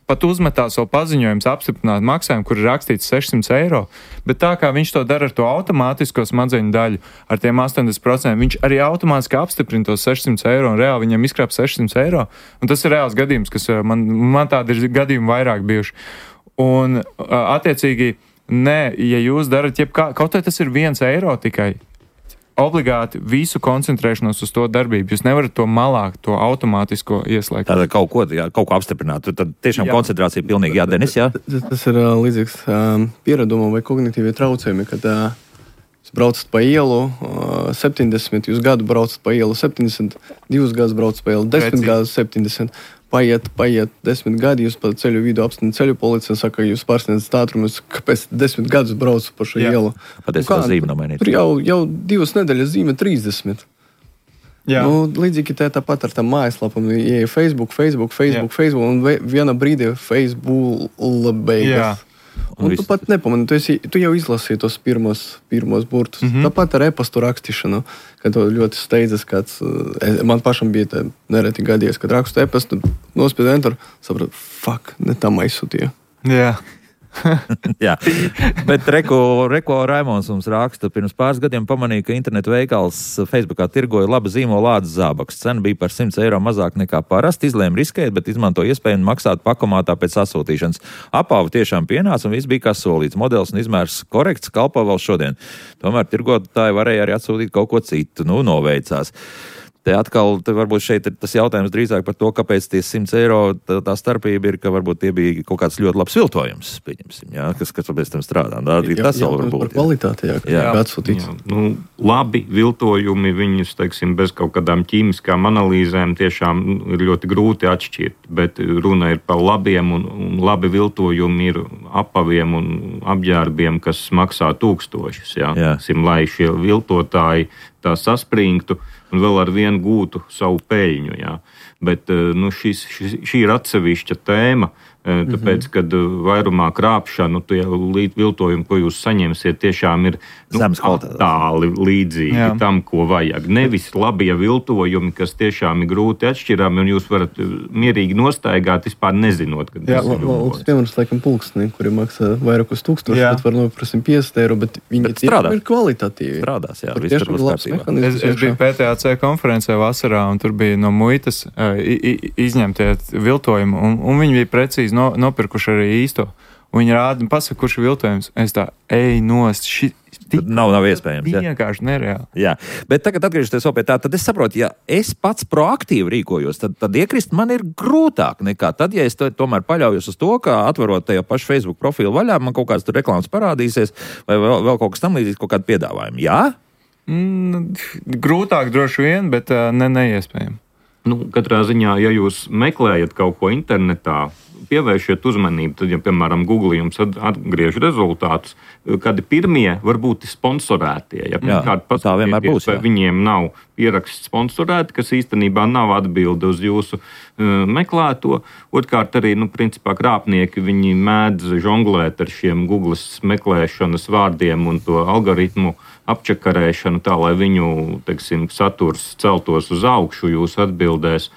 pat uzmetās vēl paziņojums apstiprināt maksājumu, kur ir rakstīts 600 eiro, bet tā kā viņš to dara ar to automātisko smadzeņu daļu, ar tiem 80%, viņš arī automātiski apstiprina tos 600 eiro, un reāli viņam izkrāp 600 eiro, un tas ir reāls gadījums, kas man tādi ir gadījumi vairāk bijuši. Un attiecīgi, ja jūs darat kaut vai tas ir 1 eiro tikai, obligāti visu koncentrēšanos uz to darbību. Jūs nevarat to malā, to automātisko ieslēgt. Tātad kaut ko apstiprināt. Tad tiešām koncentrācija pilnīgi jādenis, jā? Tas ir līdzīgs pieredumam vai kognitīvie traucējumi, kad jūs braucat pa ielu 70, jūs gadu braucat pa ielu 70, 2 gadus braucat pa ielu 10 gadus 70. Paiet 10 gadi, jūs pa ceļu vidu apstāna ceļu policija un saka, jūs pārsniedzat ātrumus, kāpēc 10 gadus braucu pa šo ielu. Patiesībā zīme nomainīt. Tur jau 2 nedēļas zīme 30. Jā. Līdzīgi tāpat ar tām mājaslapām, ja Facebook, un viena brīdī Facebook beigas. Un tu pat nepamani, tu jau izlasīji tos pirmos burtus. Tāpat ar e-pastu rakstīšanu, kad tu ļoti steidzas kāds, man pašam bija nereti gadies, kad rakstu e-pastu, nospiedu enter, sapratu, ne tam aizsūtīju. Jā. Jā, bet Reko Raimons mums raksta, pirms pāris gadiem pamanīja, ka internetu veikals Facebookā tirgoja laba zīmola ādas zābakus. Cena bija par 100 eiro mazāk nekā parasti, izlēma riskēt, bet izmanto iespēju maksāt pakomātā pēc sasūtīšanas. Apāva tiešām pienāca un viss bija kā solīts. Modelis un izmērs korekts, kalpo vēl šodien. Tomēr tirgotāji varēja arī atsūtīt kaut ko citu, noveicās. Te atkal, varbūt šeit ir tas jautājums drīzāk par to, kāpēc tie 100 eiro tā starpība ir, ka varbūt tie bija kaut kāds ļoti labs viltojums, pieņemsim, jā, kas pēc tam strādā. Tas vēl var būt. Par kvalitāti, jā. Atsūtīts. Labi viltojumi, viņus, teiksim, bez kaut kādām ķīmiskām analīzēm tiešām ir ļoti grūti atšķirt, bet runa ir par labiem un labi viltojumi ir apaviem un apģērbiem, kas maksā tūkstošus, jā. Lai šie viltotāji tā saspringtu un vēl ar vienu gūtu savu peļņu. Jā. Bet šī ir atsevišķa tēma, Tāpēc, kad vairumā krāpšanu, tie viltojumi, ko jūs saņemsiet, tiešām ir tāli līdzīgi tam, ko vajag. Nevis labie viltojumi, kas tiešām ir grūti atšķirami, un jūs varat mierīgi nostaigāt, vispār nezinot, kad tas ir viltojums. Piemēram, laikam pulksteni, kuri maksā vairākus tūkstošus, bet var noprast 50 eiro, bet viņi ir kvalitatīvi. Strādās, jā, viss tur būs kārtībā. Es biju PTAC konferencē vasarā, un tur bija no muitas izņemtie viltojumi, un viņi bija precīzi nopirkuši arī īsto. Viņi rāda, pasaka, kurš ir viltojums. Es tā, nost, nav iespējams. Vienkārši nereāli. Jā, bet tagad atgriežoties vēl pie tā, tad es saprotu, ja es pats proaktīvi rīkojos, tad iekrist man ir grūtāk nekā tad, ja es tomēr paļaujos uz to, ka atverot tajā pašu Facebook profilu vaļā, man kaut kāds tur reklāmas parādīsies, vai vēl kaut kas tam līdzīgs, kaut kādu piedāvājumu. Jā? Grūtāk droši vien, bet neiespējami. Katrā ziņā, ja jūs meklējat kaut ko internetā, pievēršiet uzmanību, tad, ja, piemēram, Google jums atgriež rezultātus, kādi pirmie varbūt ir sponsorētie. Ja, tā vienmēr būs. Vai viņiem nav ieraksts sponsorēti, kas īstenībā nav atbilde uz jūsu meklēto. Otkārt arī, principā krāpnieki, viņi mēdz žonglēt ar šiem Google meklēšanas vārdiem un to algoritmu apčakarēšanu tā, lai viņu, teiksim, saturs celtos uz augšu jūsu atbildēs.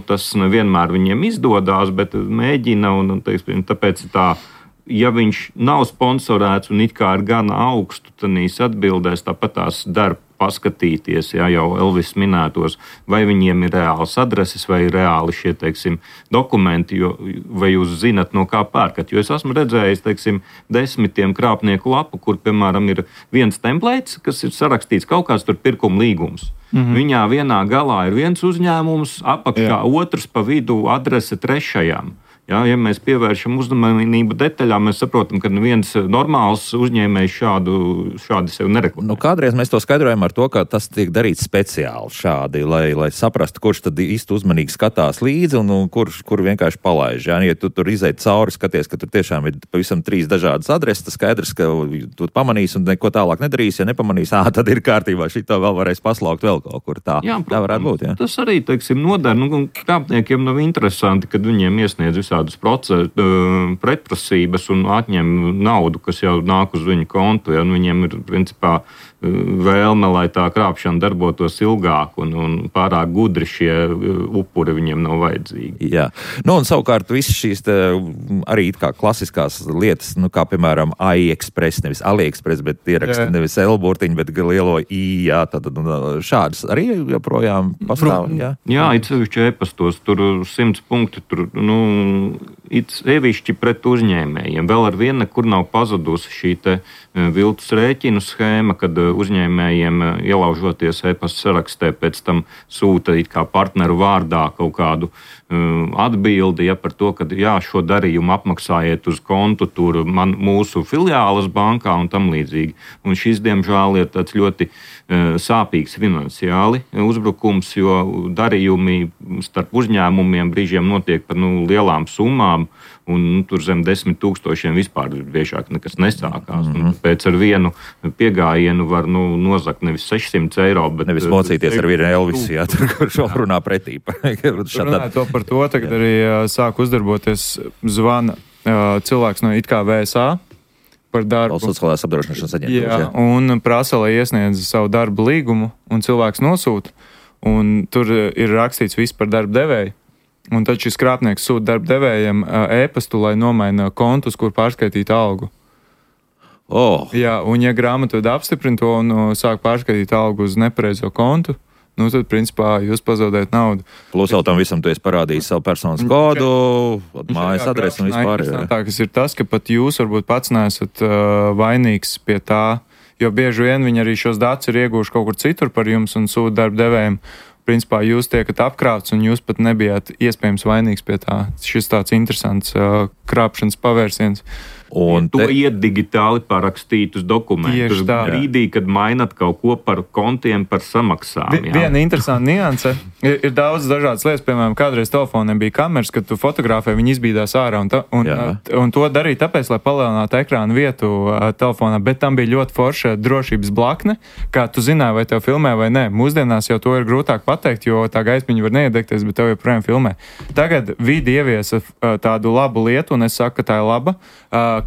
Tas nevienmēr viņiem izdodās, bet mēģina, un teiksim, tāpēc tā, ja viņš nav sponsorēts un it kā ir gana augstu, tad viņš atbildēs, tāpat tās dar paskatīties, jau Elvis minētos, vai viņiem ir reāls adreses, vai ir reāli šie, teiksim, dokumenti, vai jūs zinat, no kā pērkat. Jo es esmu redzējis, teiksim, 10 krāpnieku lapu, kur, piemēram, ir viens templēts, kas ir sarakstīts kaut kāds tur pirkuma līgums. Viņā vienā galā ir viens uzņēmums, apakšā otrs, pa vidu adrese trešajām. Ja mēs pievēršam uzmanību detaļām, mēs saprotam, ka neviens normāls uzņēmējs šādi sev nereklamē. Kādreiz mēs to skaidrojam ar to, ka tas tiek darīts speciāli šādi, lai saprastu, kurš tad īsti uzmanīgi skatās līdzi un kur vienkārši palaiž. Ja tu tur izeit cauri, skaties, ka tur tiešām ir pavisam 3 dažādas adreses, tas skaidrs, ka tu pamanīsi un neko tālāk nedarīsi. Ja nepamanīsi, tad ir kārtībā, šito vēl varēs paslaukt vēl kaut kur tā. Jā, tā varētu būt. Jā. Tas arī, teiksim, nodara. Krāpniekiem nav interesanti, kad viņiem iesniedz visādus pretprasības un atņem naudu, kas jau nāk uz viņu kontu. Ja? Viņiem ir, principā, vēlme, lai tā krāpšana darbotos ilgāk un pārāk gudri šie upuri viņiem nav vajadzīgi. Jā. Un savukārt visas šīs arī kā klasiskās lietas, kā piemēram AliExpress, nevis AliExpress, bet ieraksta nevis L-burtiņu, bet lielo I, jā, tad šādas arī joprojām pastāv. Jā, it sevišķi e-pastos, tur 100 punkti, tur, it sevišķi pret uzņēmējiem. Vēl ar vienu, kur nav pazudusi šī te viltus rēķinu schēma, kad uzņēmējiem ielaužoties e-pasta sarakstē pēc tam sūta it kā partneru vārdā kaut kādu atbildi par to, ka šo darījumu apmaksājiet uz kontu tur mūsu filiālas bankā un tam līdzīgi. Un šis, diemžēl, ir tāds ļoti sāpīgs finansiāli uzbrukums, jo darījumi starp uzņēmumiem brīžiem notiek par lielām summām, un tur zem 10 000 vispār biežāk nekas nesākās. Pēc ar vienu piegājienu var nozakt nevis 600 eiro, bet nevis mocīties ar vienu Elvisu, kurš runā pretī. Runāja to par to, tagad arī sāk uzdarboties zvana cilvēks no it kā VSA par darbu. Sociālās apdrošināšanas aģentūras. Jā, un prasa, lai iesniedz savu darbu līgumu, un cilvēks nosūta, un tur ir rakstīts viss par darba devēju. Un tad šis krāpnieks sūta darba devējiem e-pastu, lai nomaina kontus, kur pārskaitīt algu. Jā, un ja grāmatvede apstiprina to un sāk pārskaitīt algu uz nepareizo kontu, tad, principā, jūs pazaudējat naudu. Plus vēl tam visam tu esi parādījis savu personas kodu, mājas adresi un vispār. Kas ir tas, ka pat jūs varbūt pats neesat vainīgs pie tā, jo bieži vien viņi arī šos datus ir ieguvuši kaut kur citur par jums un sūta darba devējiem. Principā jūs tiekat apkrāpts un jūs pat nebijāt iespējams vainīgs pie tā. Šis tāds interesants krāpšanas pavērsiens. To iet digitāli parakstītus dokumentus. Brīdī, kad mainat kaut ko par kontiem, par samaksām. Viena interesanta nianse. Ir daudz dažādas lietas, piemēram, kādreiz telefoniem bija kameras, kad tu fotografē, viņi izbīdās ārā. Un to darīja tāpēc, lai palielinātu ekrāna vietu telefonā, bet tam bija ļoti forša drošības blakne, kā tu zināji, vai tev filmē vai nē. Mūsdienās jau to ir grūtāk pateikt, jo tā gaismiņa var neiedegties, bet tev joprojām filmē. Tagad vidi ieviesa tādu labu lietu, un es saku, ka tā ir laba,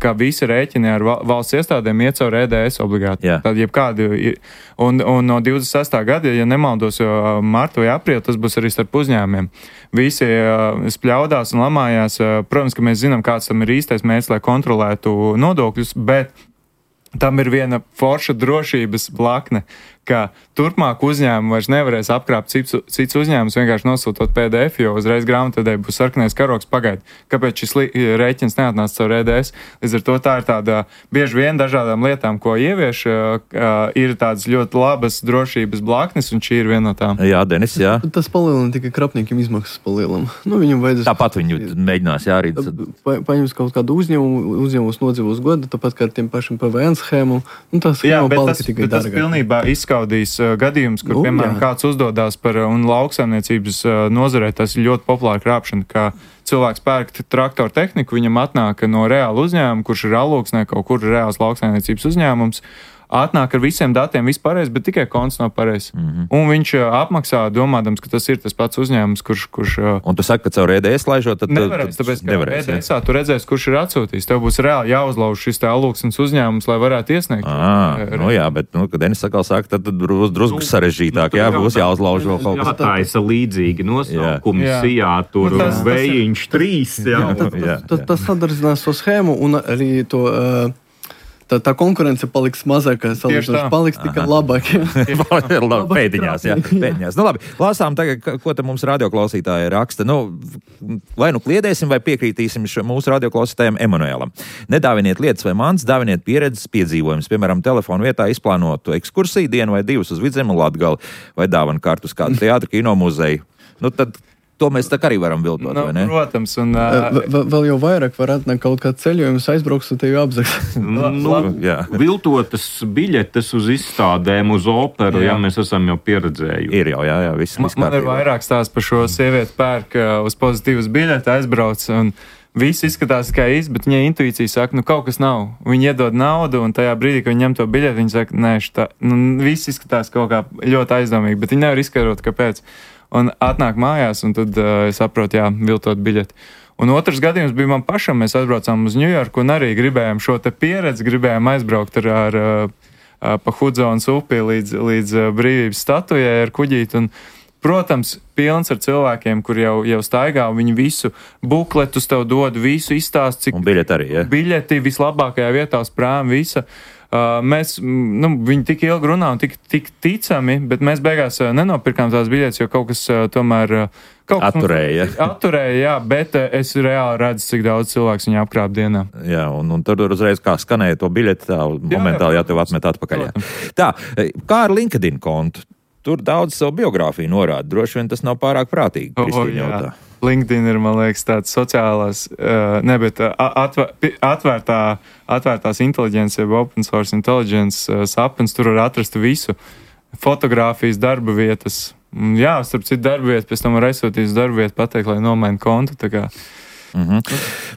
ka visi rēķini ar valsts iestādēm iet caur EDS obligāti. Tad jebkādi, un no 26. gada, ja nemaldos, jo martu vai aprīli, tas būs arī starp uzņēmumiem. Visi spļaudās un lamājās. Protams, ka mēs zinām, kāds tam ir īstais mērķis, lai kontrolētu nodokļus, bet tam ir viena forša drošības blakne, ka turpmāk uzņēmumi vairs nevarēs apkrāpt cits uzņēmums, vienkārši nosūtot PDF, jo uzreiz grāmatvedēji būs sarkanais karogs pagaid. Kāpēc šis rēķins neatnāca caur EDS? Līdz ar to tā ir tāda bieži vien dažādām lietām, ko ievieš, ir tādas ļoti labas drošības blaknes, un šī ir viena no tām. Jā, Denis, jā. Tas palielina tikai krapniekiem izmaksas palielam. Viņam vajadzēs... Tāpat viņi mēģinās, jā, arī. Paņems kaut kādu uzņēmumus nodzīvos godu, tāpat kā ar tiem pašiem PVN schēmu, un tā schēma palika tikai dārgāk. Tas pilnībā izskaudīs gadījums, kur, piemēram, kāds uzdodās par un lauksaimniecības nozarē, tas ir ļoti populāra krāpšana, kā cilvēks pērk traktoru tehniku, viņam atnāk no reāla uzņēmuma, kurš ir Alūksnē, kaut kur reāls lauksaimniecības uzņēmums, atnāk ar visiem datiem vispārējais, bet tikai konts nav pareizs. Un viņš apmaksā, domādams, ka tas ir tas pats uzņēmums, kurš... Un tu saki, ka caur EDS laižot, tad nevarēs, tāpēc, ka EDS-ā tu redzēsi, kurš ir atsūtījis. Tev būs reāli jāuzlauž šis te Alūksnes uzņēmums, lai varētu iesniegt. Jā, bet, kad Denis sakal saka, tad drusku sarežģītāk, būs jāuzlauž vēl kaut kas. Jātaisa līdzīgi nosaukumi, Sijātur, Vējiņš 3. Tas sadarinās to schēmu un arī to... Tā konkurence paliks mazākā, salīdzinājums paliks tikai labāk. Pēdiņās, jā. Pēdiņās. Nu labi, lasām tagad, ko te mums radioklausītāji raksta. Vai kliedēsim vai piekrītīsim mūsu radioklausītājiem Emanuēlam. Nedāviniet lietas vai mans, dāviniet pieredzes piedzīvojumus. Piemēram, telefonu vietā izplānotu ekskursiju dienu vai divas uz Vidzemi un Latgali vai dāvanu kartu uz kādu teātru, kino muzeju. Tad to mēs tā arī varam viltot, vai ne? Protams. Un, vēl jau vairāk var atnākt kaut kāds ceļojums, aizbrauks un tevi apzags. Viltotas biļetes uz izstādēm, uz operu, ja mēs esam jau pieredzējuši. Ir jau, jā, viss man ir vairāk stāsts par šo sievieti pērk uz pozitīvas biļeti, aizbrauc un viss izskatās kā īsti, bet viņai intuīcija saka, kaut kas nav. Viņi iedod naudu, un tajā brīdī, kad viņi ņem to biļeti, viņi saka, nē, viss izskatās kaut kā ļoti aizdomīgi, bet viņi nevar izskaidrot, kāpēc. Un atnāk mājās, un tad es saprotu, viltot biļeti. Un otrs gadījums bija man pašam, mēs aizbraucām uz Ņujorku un arī gribējām šo te pieredzi, gribējām aizbraukt pa Hudzonas upi līdz brīvības statujai ar kuģīti. Un, protams, pilns ar cilvēkiem, kur jau staigā, viņi visu bukletus tev dod, visu izstāst, cik... Un biļeti arī, ja? Biļeti vislabākajā vietā uz prāma, visa. Viņi tik ilgi runā un tik ticami, bet mēs beigās nenopirkām tās biļetes, jo kaut kas tomēr... Atturēja. Atturēja, bet es reāli redzu, cik daudz cilvēks viņu apkrāp dienā. Jā, un tur uzreiz kā skanēja to biļeti, tā momentāli tev atmet atpakaļ. Tā, kā ar LinkedIn kontu? Tur daudz savu biogrāfiju norāda. Droši vien tas nav pārāk prātīgi, Kristīna jautā. LinkedIn ir, man liekas, tāds sociālās, atvērtās inteliģences, jeb open source intelligence sapnis, tur var atrast visu. Fotogrāfijas, darba vietas. Jā, starp citu darba vietu, pēc tam var aizsūtīt uz darba vietu, pateikt, lai nomaina kontu, tā kā.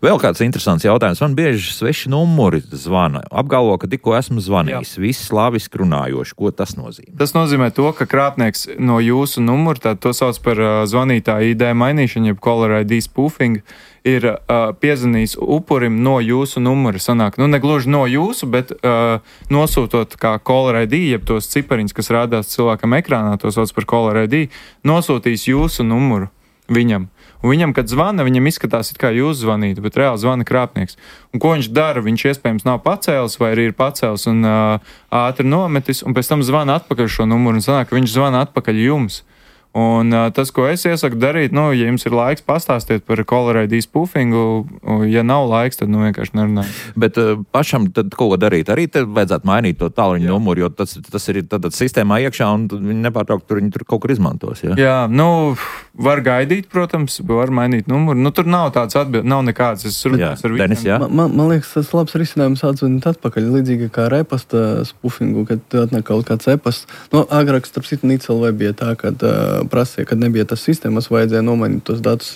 Vēl kāds interesants jautājums. Man bieži sveši numuri zvana. Apgalvo, ka tikko esmu zvanījis. Viss slāviski runājoši. Ko tas nozīmē? Tas nozīmē to, ka krāpnieks no jūsu numura, tā to sauc par zvanītāju ID mainīšanu, jeb caller ID spoofing, ir piezvanījis upurim no jūsu numura. Sanāk, ne gluži no jūsu, bet nosūtot kā caller ID, jeb tos cipariņus, kas rādās cilvēkam ekrānā, to sauc par caller ID, nosūtīs jūsu numuru viņam. Un viņam, kad zvana, viņam izskatās, it kā jūs zvanītu, bet reāli zvana krāpnieks. Un ko viņš dara? Viņš iespējams nav pacēlis vai arī ir pacēlis un ātri nometis, un pēc tam zvana atpakaļ šo numuru un sanāk, ka viņš zvana atpakaļ jums. Un tas, ko es iesaku darīt, ja jums ir laiks, pastāstiet par caller ID spoofingu. Ja nav laiks, tad vienkārši nerunājam. Bet pašam tad ko darīt? Arī te vajadzētu mainīt to tālruņa numuru, jo tas ir tad sistēmā iekšā un viņi nepārtraukt viņi tur kaut kur izmantos. Ja? Jā, var gaidīt, protams, var mainīt numuru. Tur nav tāds atbildi, nav nekāds. Es runāju ar Denis, visiem. Man liekas, tas labs risinājums atzvanīt atpakaļ, līdzīgi kā ar e-pasta spoofingu, kad atnāk kaut kāds e-pasts. Agrāk, starp citu, Nīcelvē bija tā, kad prasīja, kad nebija tas sistēmas, vajadzēja nomainīt tos datus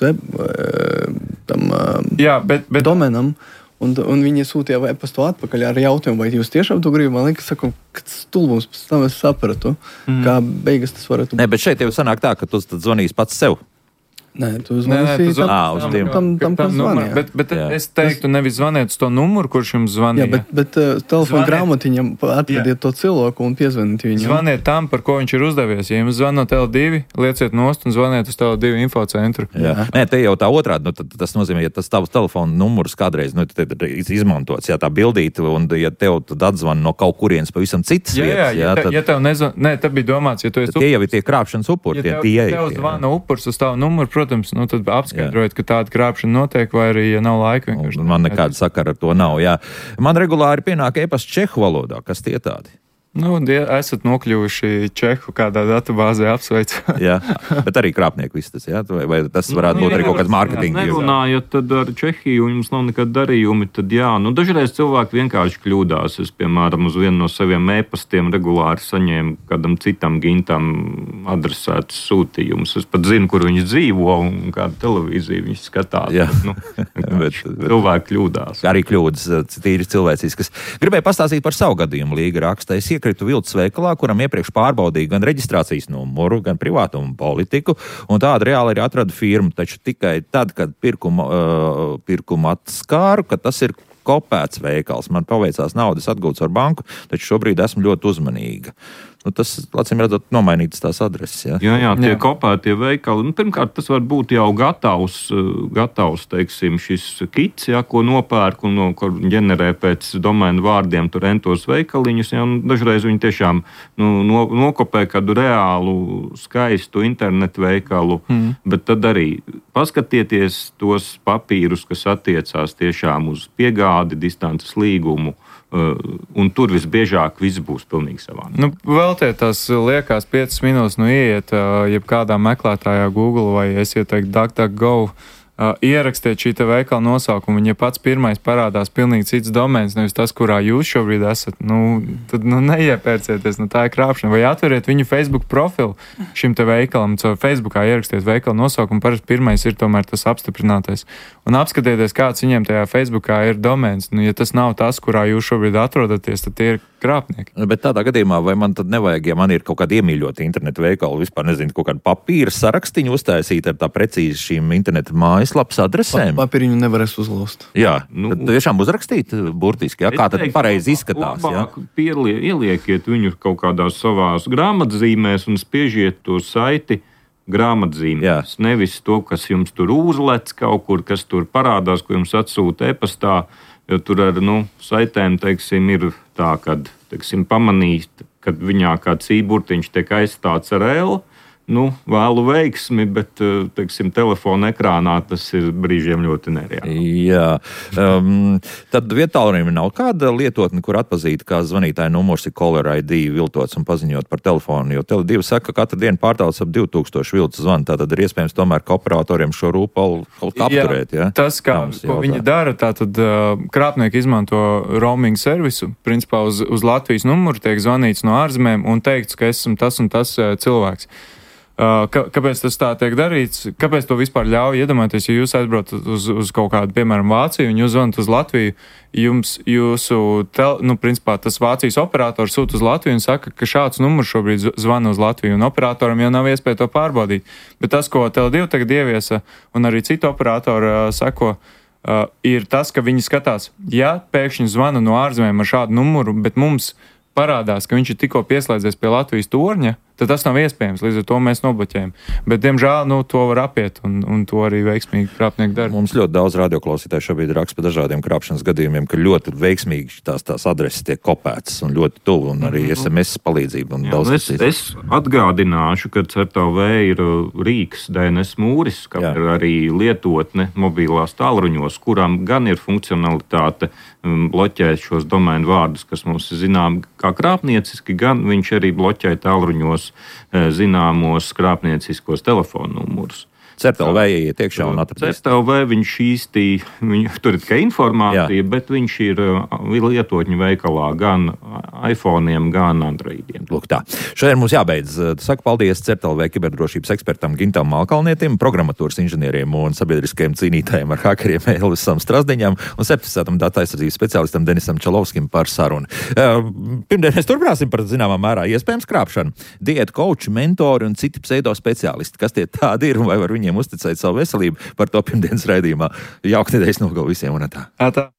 domenam, un viņi sūtīja e-pastu atpakaļ ar jautājumu, vai jūs tiešām to gribat. Man liekas, ka stulbums pēc tam es sapratu, kā beigas tas varētu būt. Nē, bet šeit jau sanāk tā, ka tu tad zvanīs pats sev. Nē, tu zvanīsi tam, kas zvanīja. Bet es teiktu, nevis zvaniet uz to numuru, kurš jums zvanīja. Jā, bet telefona grāmatiņam atradiet to cilvēku un piezvaniet viņam. Zvaniet tam, par ko viņš ir uzdevies. Ja jums zvan no Tele2, lieciet nost un zvaniet uz Tele2 infocentru. Nē, te jau tā otrādi. Tas nozīmē, ja tas tavs telefona numurs kādreiz izmantots, tā bildīta, un ja tev tad atzvan no kaut kurienes pavisam citas vietas. Ja tev nezvan, tad bija domāts, ja tu esi tie jau ir tie krāpšanas upuri. Ja tev zvana upurs uz tavu numuru, protams, tad apskaidrojiet, ka tāda krāpšana notiek, vai arī, ja nav laika, vienkārši. Man nekāda sakara ar to nav, jā. Man regulāri pienāk e-pasts čehu valodā. Kas tie tādi? Esat nokļuvuši Čehu kādā datubāzē, apsveicu. Jā, bet arī krāpnieku viss tas, jā? Vai tas varētu būt arī kaut kāds mārketinga? Nerunājot tad ar Čehiju, un jums nav nekāda darījumi, tad jā. Dažreiz cilvēki vienkārši kļūdās. Es, piemēram, uz vienu no saviem e-pastiem regulāri saņēmu kādam citam gintam adresētus sūtījumus. Es pat zinu, kur viņš dzīvo un kādu televīziju viņš skatās. Jā. Bet cilvēki kļūdās. Arī kļūdas, tīri cilvēciskas. Gribēju pastāstīt par savu gadījumu, Līga raksta. Es iekritu viltus veikalā, kuram iepriekš pārbaudīju gan reģistrācijas numuru, gan privātumu politiku, un tādu reāli arī atradu firmu, taču tikai tad, kad pirkumu atskāru, ka tas ir kopēts veikals. Man paveicās naudas atgūts ar banku, taču šobrīd esmu ļoti uzmanīga. Tas, acīm redzot, nomainītas tās adreses. Ja? Jā, tie kopētie veikali. Pirmkārt, tas var būt jau gatavs teiksim, šis kits, ko nopērk un ko ģenerē pēc domēnu vārdiem tur entos veikaliņus. Ja? Dažreiz viņi tiešām nokopē kādu reālu, skaistu internetu veikalu, bet tad arī paskatieties tos papīrus, kas attiecās tiešām uz piegādi, distances līgumu. Un tur visbiežāk viss būs pilnīgi savādāk. Veltiet tās liekās 5 minūtes, ieiet jebkādā meklētājā Google vai es ieteiktu DuckDuckGo, ierakstiet šī te veikala nosaukumu, un ja pats pirmais parādās pilnīgi cits domēns, nevis tas, kurā jūs šobrīd esat, tad neiepērcieties, tā ir krāpšana. Vai atveriet viņu Facebook profilu šim te veikalam, caur Facebookā ierakstiet veikala nosaukumu, parasti pirmais ir tomēr tas apstiprinātais. Un apskatieties, kāds viņiem tajā Facebookā ir domēns. Ja tas nav tas, kurā jūs šobrīd atrodaties, tad tie ir krāpnieki. Bet tādā gadījumā, vai man tad nevajag, ja man ir kaut kāda iemīļota internetu veikala, vispār nezinu, kaut kāda papīra sarakstiņu uztaisīt ar tā precīzi šīm internetu mājaslapas adresēm? Papīriņu nevarēs uzlauzt. Jā, tad tiešām uzrakstīt burtiski, kā tad pareizi izskatās. Ielieciet viņu kaut kādās savās grāmatzīmēs un spiežiet to saiti grāmatzīmēs. Nevis to, kas jums tur uzlec kaut kur, kas tur parādās, ko jums atsūta e-pastā. Jo tur ar saitēm, ir tā, kad pamanīt, kad viņā kāds īburtiņš tiek aizstāts ar L. Vēlu veiksmi, bet, telefona ekrānā tas ir brīžiem ļoti nereāli. Jā. Tad vietālrunim nav kāda lietotne, kur atpazīt, kā zvanītāja numurs ir caller ID viltots un paziņot par telefonu, jo Tele2 saka, ka katru dienu pārtauc ap 2000 viltus zvanu, tātad ir iespējams tomēr ka operatoriem šo rūpalu apturēt. Ja? Tas, ko viņi dara, tātad krāpnieki izmanto roaming servisu, principā uz Latvijas numuru tiek zvanīts no ārzemēm un teikts, ka esmu tas un tas cilvēks. Kāpēc tas tā tiek darīts? Kāpēc to vispār ļauj? Iedomājieties, ja jūs aizbraucat uz kaut kādu, piemēram, Vāciju, un jūs zvanat uz Latviju, principā tas Vācijas operators sūta uz Latviju un saka, ka šāds numurs šobrīd zvana uz Latviju, un operatoram jau nav iespēja to pārbaudīt. Bet tas, ko Tele2 tagad ieviesa, un arī citu operatoru sako, ir tas, ka viņi skatās, ja pēkšņi zvana no ārzemēm ar šādu numuru, bet mums parādās, ka viņš ir tikko pieslēdzies pie Latvijas torņa, tad tas nav iespējams. Līdz ar to mēs nobloķējam. Bet, diemžēl, to var apiet, un to arī veiksmīgi krāpnieki dara. Mums ļoti daudz radioklausītāju šobrīd raksta par dažādiem krāpšanas gadījumiem, ka ļoti veiksmīgi tās adreses tiek kopētas un ļoti tuvu, un arī SMS palīdzību. Un es atgādināšu, ka CERTLV ir rīks DNS mūris, kā arī lietotne mobilās tālruņos, kurām gan ir funkcionalitāte bloķēt šos domēnu vārdus, kas mums ir zinām kā krāpnieciski, gan viņš arī bloķē tālruņos zināmos krāpnieciskos telefonu numurus. CERTLV ieiet iekšā un atradīs. CERTLV viņš īsti, tur ir tikai informācija, bet viņš ir lietotņu veikalā gan iPhone'iem, gan Androidiem. Lūk tā. Šodien mums jābeidz. Saku paldies CERTLV kiberdrošības ekspertam Gintam Malkalnietim, programmatūras inženieriem un sabiedriskajiem cīnītājiem ar hakeriem Elvisam Strazdiņam un certificētam datu aizsardzības speciālistam Denisam Čalovskim par sarunu. Pirmdien mēs turpināsim par zināmā mērā iespējams krāpšanu. Diētu koči, mentori un citi pseido speciālisti. Kas tie tādi ir un vai var viņiem uzticēt savu veselību, par to pirmdienas raidījumā. Jauka nedēļas nogalu visiem un tā. Tā.